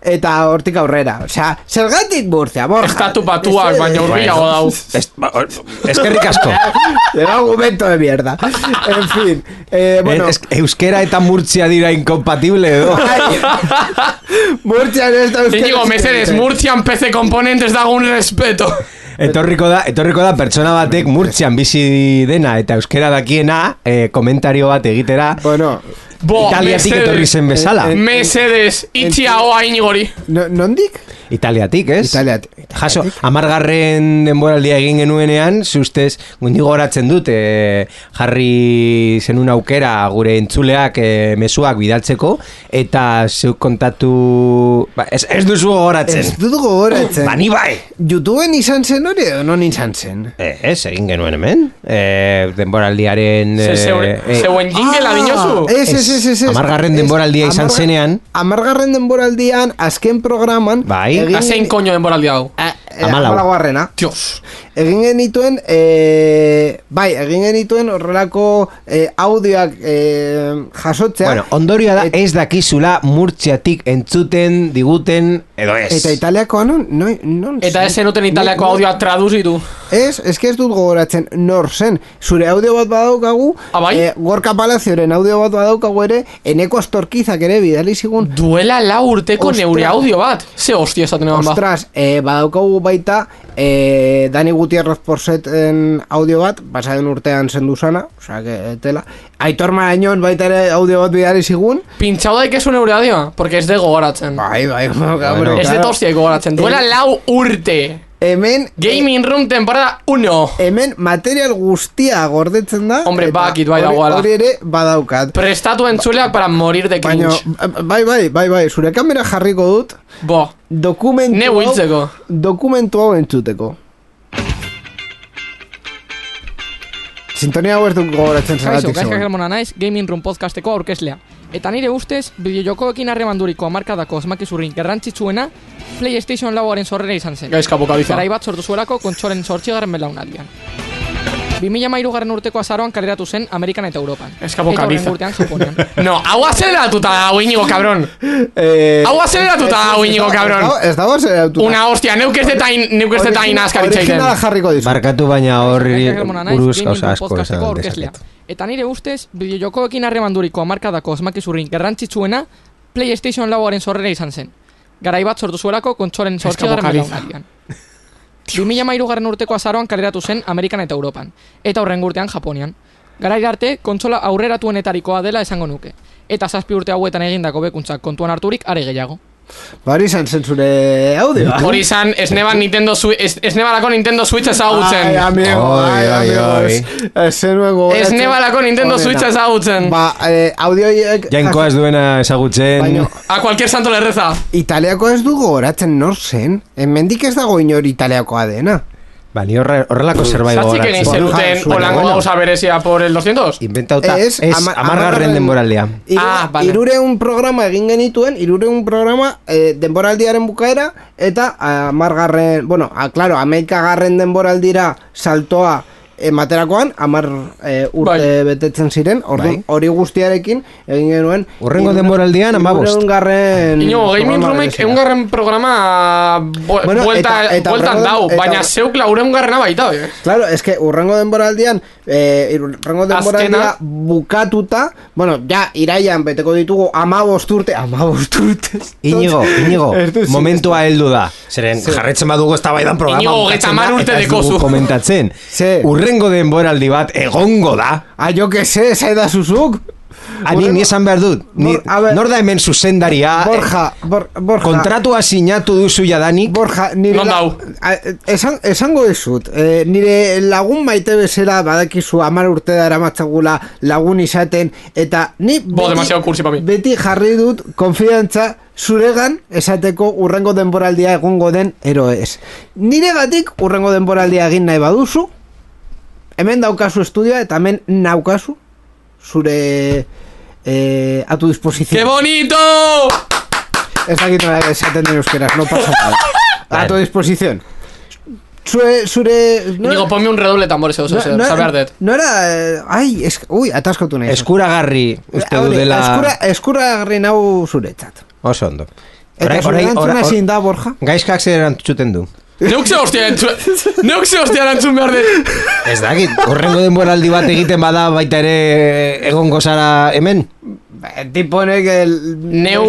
eta hortik aurrera, osea, zergatik Murtzia, Borja estatu batuak, baina urbiago dau eskerrik asko el argumento de mierda en fin, bueno euskera eta Murtzia dira incompatible edo Murtzia ez da euskera Íñigo mesedez, Murtzian PC Componentes dago un respeto Etorriko da pertsona batek Murtzian bizi dena eta euskera dakiena komentario bat egitera bueno Italiatik etorri zen bezala. Mesedes, itxia hoa inigori. Nondik? Italiatik, ez? Italiatik. Jaso, 10. denboraldia egin genuenean, zustez, gundi goratzen dut, jarri zenun aukera gure entzuleak mezuak bidaltzeko, eta zeuk kontatu... Ez duzu gogoratzen. Ez dut gogoratzen. Bani bai. YouTubeen izan zen hori edo non izan zen? Ez, egin genuen hemen. Denboraldiaren... Zeuen jingela dinozu? Ez. 10. denboraldia izan zenean. 10. denboraldian, azken programan... Bai. Hazein koño denboraldia hau? 14. Dios. Egin genituen horrelako audioak jasotzea. Bueno, ondorioa da ez dakizula Murtziatik entzuten diguten edo ez. Eta italiakoa non Eta ez zenuten italiako audioa traduzitu. Ez que ez dut gogoratzen nor zen. Zure audio bat badaukagu, Gorka Palazioren audio bat badaukagu ere, Eneko Astorkizak ere bidali zigun. Duela 4 urteko neure audio bat. Ze hostia esaten egon ba. Ostras, badaukagu baita Dani Gutierrez Porseten audio bat, pasaden urtean zendu zana, osea, que tela. Aitor Marañón baita ere audio bat bidali zigun. Pintxau daik esu neure audioa, porque ez de gogoratzen. Bai, Ez de tostia gogoratzen. Duela 4 urte. Hemen Gaming Room temporada 1. Hemen material guztia gordetzen da. Hombre, bakit bai dagoela. Hori ere badaukat. Prestatu entzuleak para morir de cringe. Bai, zure kamera jarriko dut. Bo. Dokumentu hau entzuteko. Sintonia hau ez duk gogoratzen zagatik zegoen. Kaixo Germona naiz, Gaming Room podcasteko aurkezlea. Eta nire ustez, bideojokoekin harremanduriko hamarkadako asmakizurrin garrantzitsuena PlayStation lauaren sorrera izan zen. Gaizka bokadiza. Garai bat sortu zuelako kontsolen 8. belaunaldian. 2013 urteko azaroan kaleratu zen Amerikan eta Europan. Gaizka bokadiza. Eta horren urtean Japonian. No, hau azeleratuta dago Iñigo, cabrón. Hau azeleratuta dago Iñigo, cabrón. Ez dago azeleratuta. Una hostia, neuk ez detain askaritzaiten. Originala jarriko dizu. Barkatu baina horri buruz gauza asko esan dezaket. Eta nire ustez, bideojokoekin harremanduriko hamarkadako asmakizurrin garrantzitsuena PlayStation lauaren sorrera izan zen. Garai bat sortu zuelako kontsolen 8. belaunaldian. 2013 urteko azaroan kaleratu zen Amerikan eta Europan, eta horren urtean Japonian. Garaira arte, kontsola aurreratuenetarikoa dela esango nuke, eta 7 urte hauetan egindako bekuntzak kontuan harturik are gehiago. Hori izan zen zure audioa. Hori izan, esnebalako Nintendo Switch ezagutzen. Ai, amigos. Esnebalako Nintendo Switch ezagutzen. Audioiek... Jainkoa ez duena ezagutzen. A cualquier santo le reza. Italiako ez du gogoratzen nor zen. Hemendik ez dago inor italiakoa dena. Ni horrelako zerbait gogoratzen. Zatzik egin zeruten olango gauza berezia por el 200? Inventauta, ez 10. denboraldia. 300 programa egin genituen, 300 programa denboraldiaren bukaera, eta 10. Bueno, claro, 11. denboraldira saltoa materakoan, 10 urte betetzen ziren, hori guztiarekin egin genuen. Urrengo denboraldian 15. Iño, Gaming Roomek 1. programa bueltan dau, baina zeuk 4. baita. Claro, es que urrengo denboraldian bukatuta, bueno, ja iraian beteko ditugu 15 urte. Iñigo, momentua heldu da. Zeren jarretzen badugu eztabaidan programa. Iñigo, 30 urte dekozu. Komentatzen. Urrengo denboraldi bat egongo da. Jo que sé, zaida zuzuk. Ni esan behar dut. Nor da hemen zuzendaria. Borja. Kontratua sinatu duzu jadanik. Borja, nire... Esango dizut. Nire lagun maite bezala badakizu 10 urte dara matzagula lagun izaten. Eta ni beti jarri dut konfidantza zuregan esateko urrengo denboraldia egongo den eroez. Nire gatik urrengo denboraldia egin nahi baduzu. Hemen daukazu estudioa eta hemen naukazu zure a tu disposición. ¡Qué bonito! Ez dakit nola esaten den euskeraz, no pasa nada. A tu disposición. Digo, ponme un redoble tambor ese oso, saber det. No era... Uy, ataskatu nahi. Eskuragarri uste du dela... Eskuragarri nau zuretzat. Oso ondo. Eta zure antzuna ezin da, Borja? Gaizkak zer erantzuten du. Neuk ze hostia erantzun behar dut. Ez dakit, horrengo denboraldi bat egiten bada baita ere egongo zara hemen? tipo honek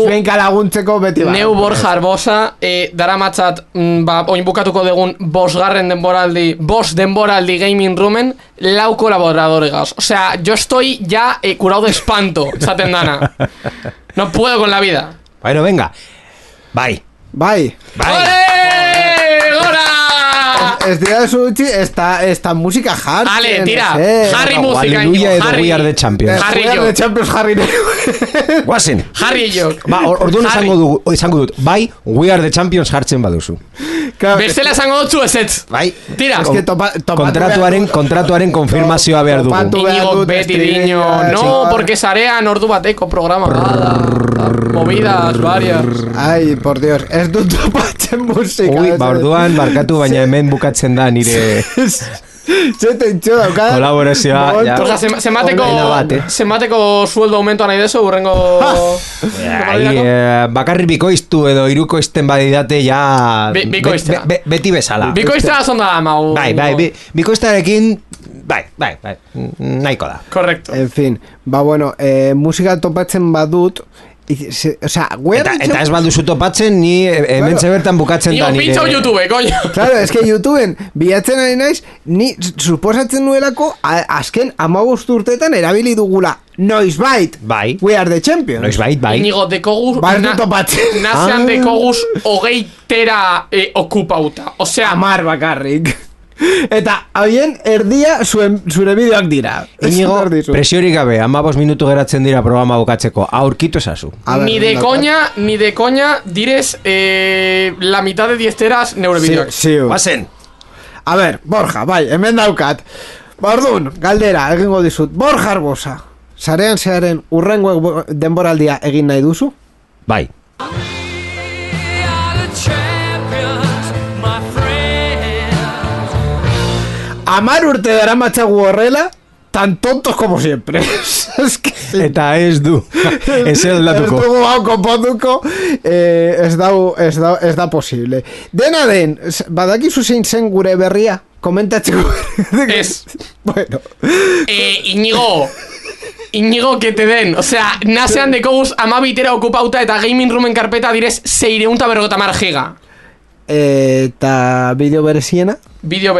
Benka laguntzeko beti bat. Neu Borja Arbosa, dara matzat, oin bukatuko degun bost denboraldi gaming roomen, 4 colaboradores gaz. O sea, yo estoy ya curado de espanto, esaten dana. No puedo con la vida. Bueno, venga. Bai. ¡Ole! ¡Gora! Ez dira de su esta música hard. Ale, tira. Harry música. Aleluya edo We Are the Champions. Harry We Are the Champions, Harry. Guazen. Harry jo. Ba, orduan esango dut. Bai, We Are the Champions jartzen baduzu. Bestela esango dutzu ezetz. Bai. Tira. Kontratuaren konfirmazioa behar dugu. Inigo beti diño. No, porque sarean ordu bateko programa. Movidas varias. Ay, por Dios. Ez dut topatzen musika. Ui, ba, orduan, barkatu, baina hemen bukatzen da nire... Kolaborazioa. Zenbateko sueldo aumentoa nahi dezu, urrengo... Bakarri bikoiztu edo irukoizten badidate ja... Bikoiztea. Beti bezala. Bikoiztea zonda mau... Bai, Bikoiztearekin... Bai, nahiko da. Correcto. En fin, ba bueno, musika topatzen badut... O sea, eta ez balduzu topatzen ni hemen bertan bukatzen da nire. Ni YouTube, coño. Claro, es que YouTubeen bilatzen ari naiz, ni suposatzen nuelako azken 15 urteetan erabili dugula noizbait. Bai. We Are the Champions. Noizbait, bai. Inigo dekogus topatzen. Nasean dekogus hogeitera okupauta. O sea, 10 bakarrik. Eta haien erdia zure bideoak dira. Inigo, presiorik gabe, 15 minutu geratzen dira programa bukatzeko. Aurkitu esazu. Ni de coña direz la mitad de 10 teras neurobideoak. Sí. Bazen. A ver, Borja, bai, hemen daukat. Bordun, galdera, egingo dizut. Borja Arbosa, sarean zearen urrengo denboraldia egin nahi duzu? Bai. Amar urte dara matzagu horrela, tan tontos como siempre. Eta ez du. Ez eldatuko. Ez dugu hau konponduko. Ez da posible. Dena den, badakizu zein zen gure berria? Komentatzeko. Ez. Bueno. Inigo, que te den. O sea, nasean dekoguz 12 okupauta eta gaming roomen karpeta direz 650 giga. Eta bideo bereziena? Bideo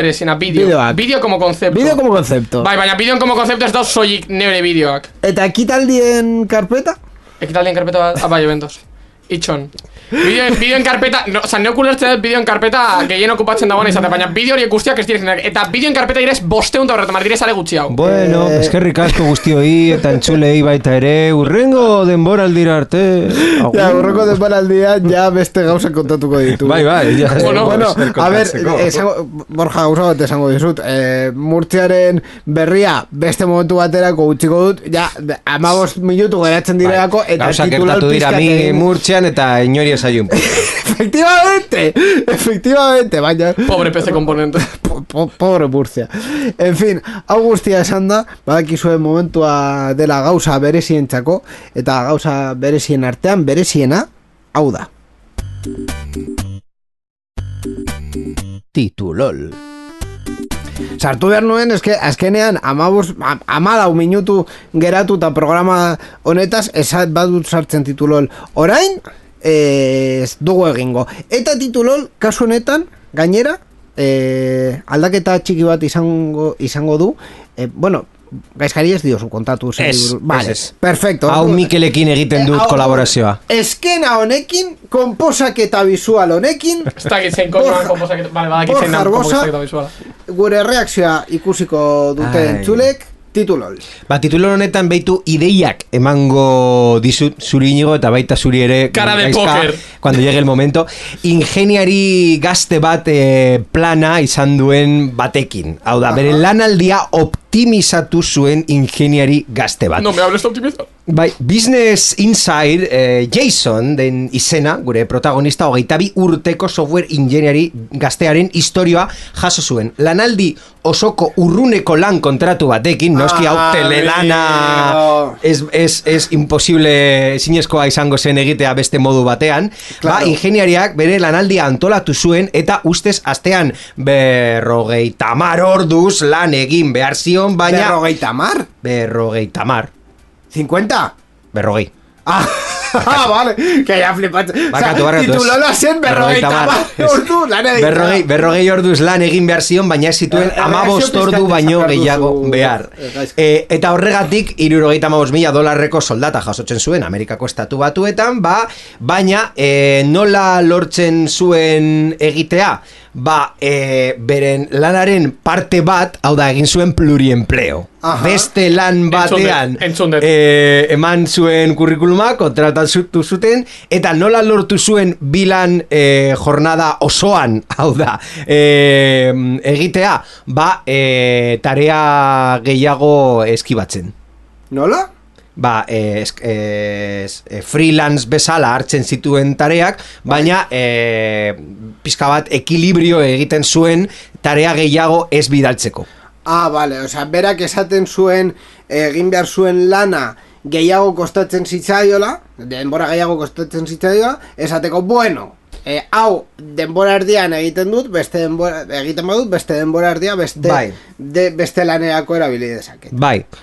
como concepto. Bai, baina bideo como concepto ez dauz soilik neure bideoak. Eta ekitaldien karpeta? Ekitaldien karpeta, bai, eventos. Itxon. Bideo en carpeta, no, o sea, neokulertzen dut bideo en carpeta gehien okupatzen dagoen izate, baina bideo horiek guztiak ez direzin. Eta bideo en carpeta direz 500 horretamar direz ale gutxi hau. Bueno, eskerrik asko guztioi eta entzulei baita ere, urrengo denboraldira arte. Ja, urrengo denboraldia ja beste gauza kontatuko ditu. Bai, ja. Bueno, a ver, Borja, gauza bat esango dizut, Murtziaren berria beste momentu baterako utziko dut, ja, 15 minutu geratzen direlako, eta titular pizkaten Murtzian eta inori esaiun. Efectivamente, baina. Pobre PC componente. Pobre Murcia. En fin, hau guztia esan da, badakizuen momentua dela gauza berezientzako, eta gauza berezien artean, bereziena, hau da. Titulol. Sartu behar nuen, eske azkenean 14 minutu geratu eta programa honetaz esat badut sartzen titulol. Orain ez dugu egingo. Eta titulol, kasu honetan, gainera, aldaketa txiki bat izango du. Bueno, gaizkari ez diozu kontatu. Vale, perfecto. Hau Mikelekin egiten dut kolaborazioa. Eskena honekin, konposaketa visual honekin. Ez dakit zein konoan konposaketa. Vale, badakit zein konposaketa visuala. Gure reakzioa ikusiko dute entzulek. Titulol. Titulol honetan beitu ideiak emango dizut zuri Inigo eta baita zuri ere. Cara de póker. Cuando llegue el momento. Ingeniari gazte bat plana izan duen batekin. Hau da, bere lanaldia optimizatu zuen ingeniari gazte bat. No me hables de optimizar. Bai, Business Inside, Jason den izena, gure protagonista 22 urteko software ingeniari gaztearen historioa jaso zuen. Lanaldi osoko urruneko lan kontratu batekin, noski hau telelana es imposible zinezkoa izango zen egitea beste modu batean. Claro. Ingeniariak bere lanaldia antolatu zuen eta ustez astean 50 orduz lan egin behar zion, baina... 50? 50. 50? 40. Vale, que ya flipatzen. Barkatu. Titulola zen 40 ordu lan egin. 40 orduz lan egin behar zion, baina ez zituen 15 ordu baino gehiago behar. Eta horregatik, $75,000 soldata jasotzen zuen Amerikako Estatu Batuetan, baina nola lortzen zuen egitea? Beren lanaren parte bat, hau da, egin zuen pluriempleo. Beste lan batean eman zuen kurrikuluma, kontratatu zuten, eta nola lortu zuen bilan jornada osoan, hau da, egitea, tarea gehiago eskibatzen. Nola? Freelance bezala hartzen zituen tareak, baina pizka bat ekilibrio egiten zuen tarea gehiago ez bidaltzeko. Vale, osea, berak esaten zuen egin behar zuen lana gehiago kostatzen zitzaiola, denbora gehiago kostatzen zitzaiola, esateko, bueno, hau denbora erdian egiten dut, egiten badut, beste denbora erdia beste lanerako erabili dezaket.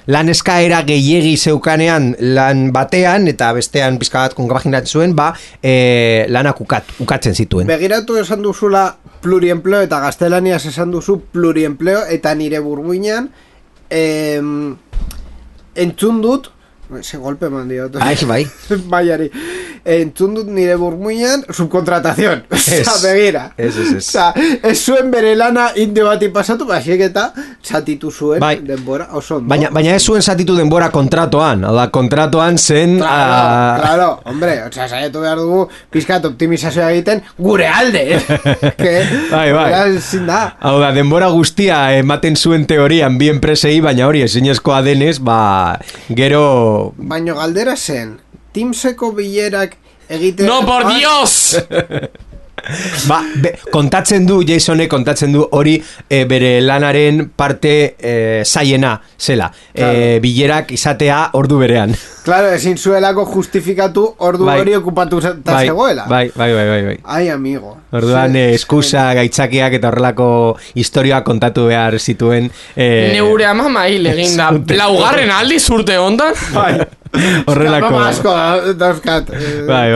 Lan eskaera gehiegi zeukanean lan batean, eta bestean pizka bat konpaginatzen zuen, lanak ukatzen zituen. Begiratu esan duzula pluriempleo, eta gaztelaniaz esan duzu pluriempleo, eta nire burmuinean entzun dut, se golpe eman diot. Baiari. Entzun dut nire burmuinean subkontratazion. Begira. Ez zuen bere lana indio bati pasatu, basiek eta zatitu zuen denbora oso ondo. Baina ez zuen zatitu denbora kontratoan. Kontratoan zen... Claro, hombre, saietu behar dugu pizkat optimizazioa egiten gure alde. Hau da, denbora guztia ematen zuen teorian bi enpresei, baina hori ezinezkoa denez, gero... Baina galdera zen, Teamseko bilerak egiten... ¡No, por Dios! Kontatzen du, Jasonek kontatzen du hori bere lanaren parte zaiena zela. Bilerak izatea ordu berean. Claro, ezin zuelako justifikatu ordu hori okupatu zegoela. Bai. Ai, amigo. Orduan eskusa, gaitzakiak eta horrelako historia kontatu behar zituen. Neure ama hil egin da. Laugarren aldi zurte ondan? Horrelako dauzkat. Bai.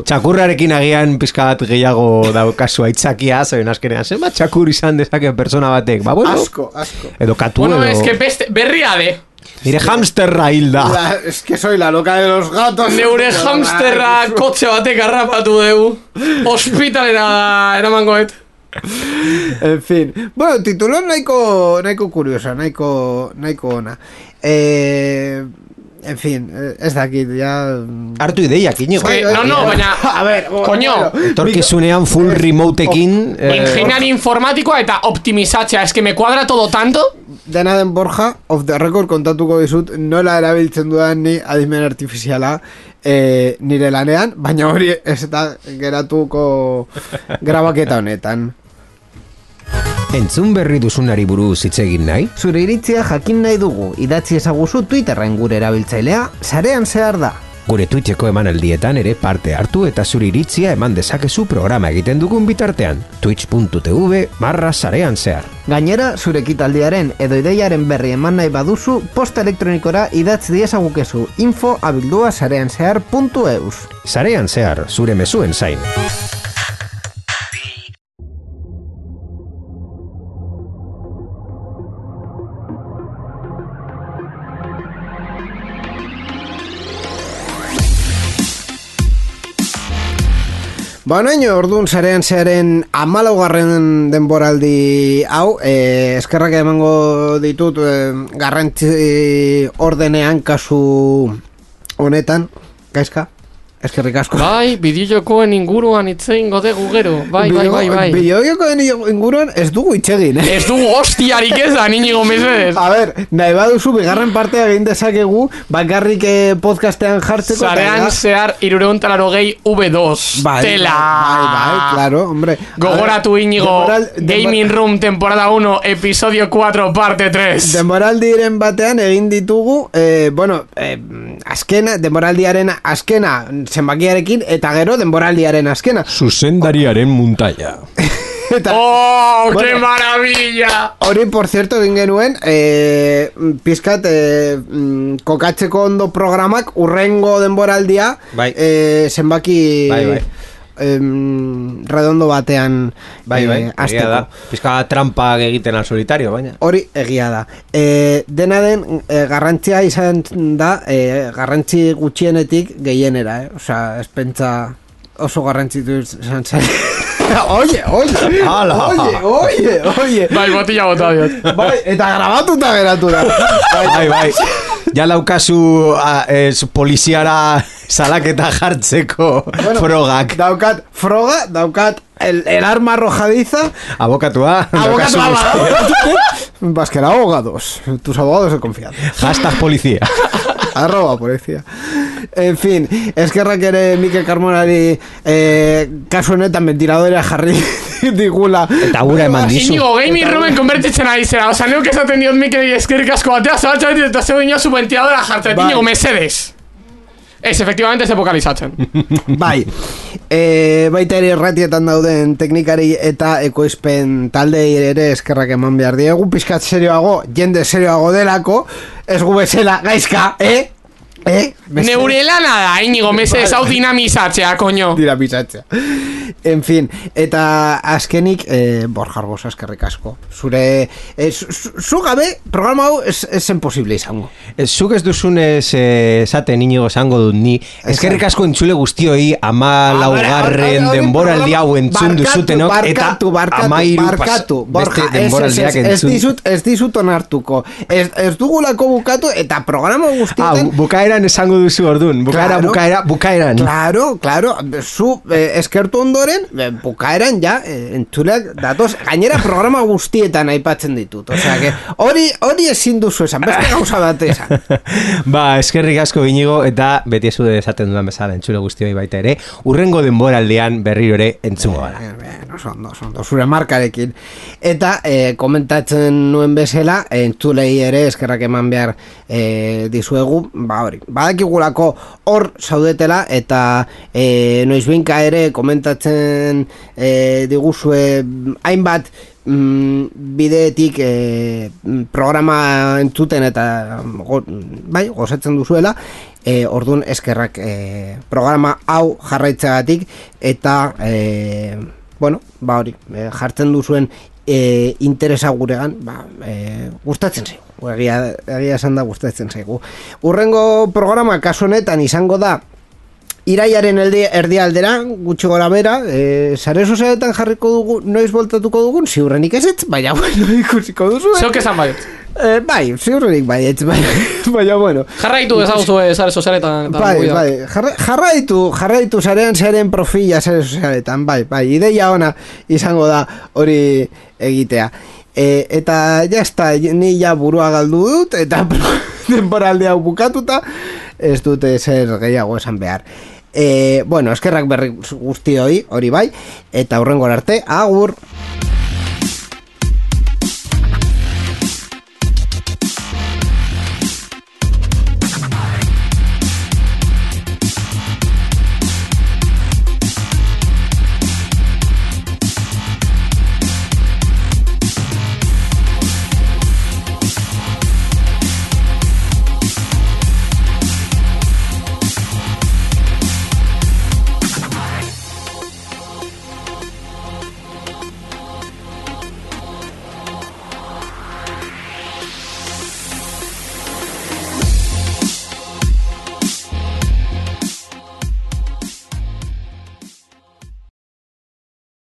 Txakurrarekin agian pizka bat gehiago daukazu aitzakia, zeben azkenean, zenbat txakur izan dezake persona batek? Asko. Edo katu edo... Bueno, es que berria de... Nire hamsterra hilda. Es que soy la loca de los gatos. Neure hamsterra kotxe batek harrapatu dugu. Hospitalera eramangoet. En fin. Bueno, titulón nahiko curiosa, nahiko ona. En fin, ez dakit, ya... Hartu ideiak, Iñigo. No, baina... A ver, coño. Etorkizunean full remoteekin... Ingeniari informatikoa eta optimizatzea, es que me cuadra todo tanto... Dena den Borja, off the record kontatuko dizut, nola erabiltzen dudan ni adimen artifiziala nire lanean, baina hori ez eta geratuko grabaketa honetan. Entzun berri duzunari buruz hitz egin nahi? Zure iritzia jakin nahi dugu, idatzi ezaguzu Twitterren gure erabiltzailea, sarean zehar da. Gure Twitcheko emanaldietan ere parte hartu eta zure iritzia eman dezakezu programa egiten dugun bitartean. twitch.tv/sarean zehar. Gainera, zure ekitaldiaren edo ideiaren berri eman nahi baduzu, posta elektronikora idatz diezagukezu info@sareanzehar.eus. Sarean zehar, zure mezuen zain. Banaino, orduan sarean zearen 14. denboraldi hau, eskerrak emango ditut garrantzi ordenean kasu honetan, Gaizka? Eskerrik asko. Bai, bideojokoen inguruan itzein godegu gero. Bai. Bideojokoen inguruan ez dugu itxegin, Ez dugu hostiarik ez da, Iñigo mesedez. A ver, nahi baduzu bigarren partea egin dezakegu, bakarrik podcastean jartzeko. Sarean zehar 380 V2. Tela. Bai, claro, hombre. Gogoratu, Iñigo, Gaming Room temporada 1, episodio 4, parte 3. Denboraldiren batean egin ditugu, denboraldiaren azkena zenbakiarekin, eta gero denboraldiaren azkena. Zuzendariaren muntaia. ¡Oh, qué maravilla! Hori, por cierto, egin genuen, pizkat, kokatzeko ondo programak urrengo denboraldia, zenbaki... redondo batean egia da. Pizka trampa egiten al solitario, baina hori egia da. Dena den garrantzia izan da, garrantzi gutxienetik gehienera, osea, ez pentsa oso garrantzitu izan zen. Oye. Bai, botilla bota diot. Bai, eta grabatuta geratu da. Bai. Ja laukazu poliziara salaketa jartzeko frogak. Daukat el arma arrojadiza. Abokatua. Vasquera abogados. Tus abogados de confianza. Hashtag policía. @policía. En fin, eskerrak ere Mikel Carmonari kasu honetan ventiladora jarri digula. Eta gura eman dizu. Inigo, gaming roomen konbertitzen ari zera. Osa, neuk esaten diot Mikel eskerrik asko batea, zabaltzabetit eta zeu ino su ventiladora jartzen. Inigo, mesedes. Ez, efectivamente, ez epokalizatzen. Bai, baita ere erratietan dauden teknikari eta ekoizpen taldei ere eskerrak eman behar diegu. Pizkat serioago, jende serioago delako, ez gu bezala gaizka, Neure lana da, Inigo, mesedez hau dinamizatzea, koño. Dinamizatzea. En fin, eta azkenik, Borja Arbosa, eskerrik asko. Zure, zu gabe, programa hau esen posible izango. Zuk ez duzunez esaten Inigo esango dut ni. Eskerrik asko entzule guztioi, 14. denboraldi hau entzun duzutenok, eta 13 beste denboraldiak entzun. Ez dizut onartuko. Ez dugulako bukatu, eta programa guztietan... Bukaeran esango duzu ordun. Bukaeran. Claro. Zu eskertu ondoren, bukaeran ja, entzuleak datoz, gainera programa guztietan aipatzen ditut. Osea, que hori ezin duzu esan, beste gauza date esan. Ba, eskerrik asko Inigo, eta beti ezu esaten dudan bezala entzule guztioi baita ere, urrengo denboraldean berriro ere entzungo gara. Oso, zure markarekin. Eta komentatzen nuen bezala, entzulei ere eskerrak eman behar dizuegu, ba hori. Badakigulako hor zaudetela, eta noizbinka ere komentatzen diguzue hainbat bideetik programa entzuten eta gozatzen duzuela, orduan eskerrak programa hau jarraitzeagatik, eta ba hori, jartzen duzuen interesa guregan, gustatzen zaigu. Egia esan da gustatzen zaigu. Urrengo programa kasu honetan izango da iraiaren erdialdera, gutxi gora bera, sare sozialetan jarriko dugu, noiz voltatuko dugun, ziurrenik ezetz, baina bueno, ikusiko duzu. Zeok esan baiet. Bai, ziurrenik baiet, baina bueno. Jarraitu ezaguzu sare sozialetan. Bai, jarraitu zaren profila sare sozialetan, bai, ideia ona izango da hori egitea. Eta jazta, ni ja burua galdu dut, eta denboralde hau bukatuta, ez dute zer gehiago esan behar. Eskerrak berri guztioi, hori bai, eta hurrengora arte, agur!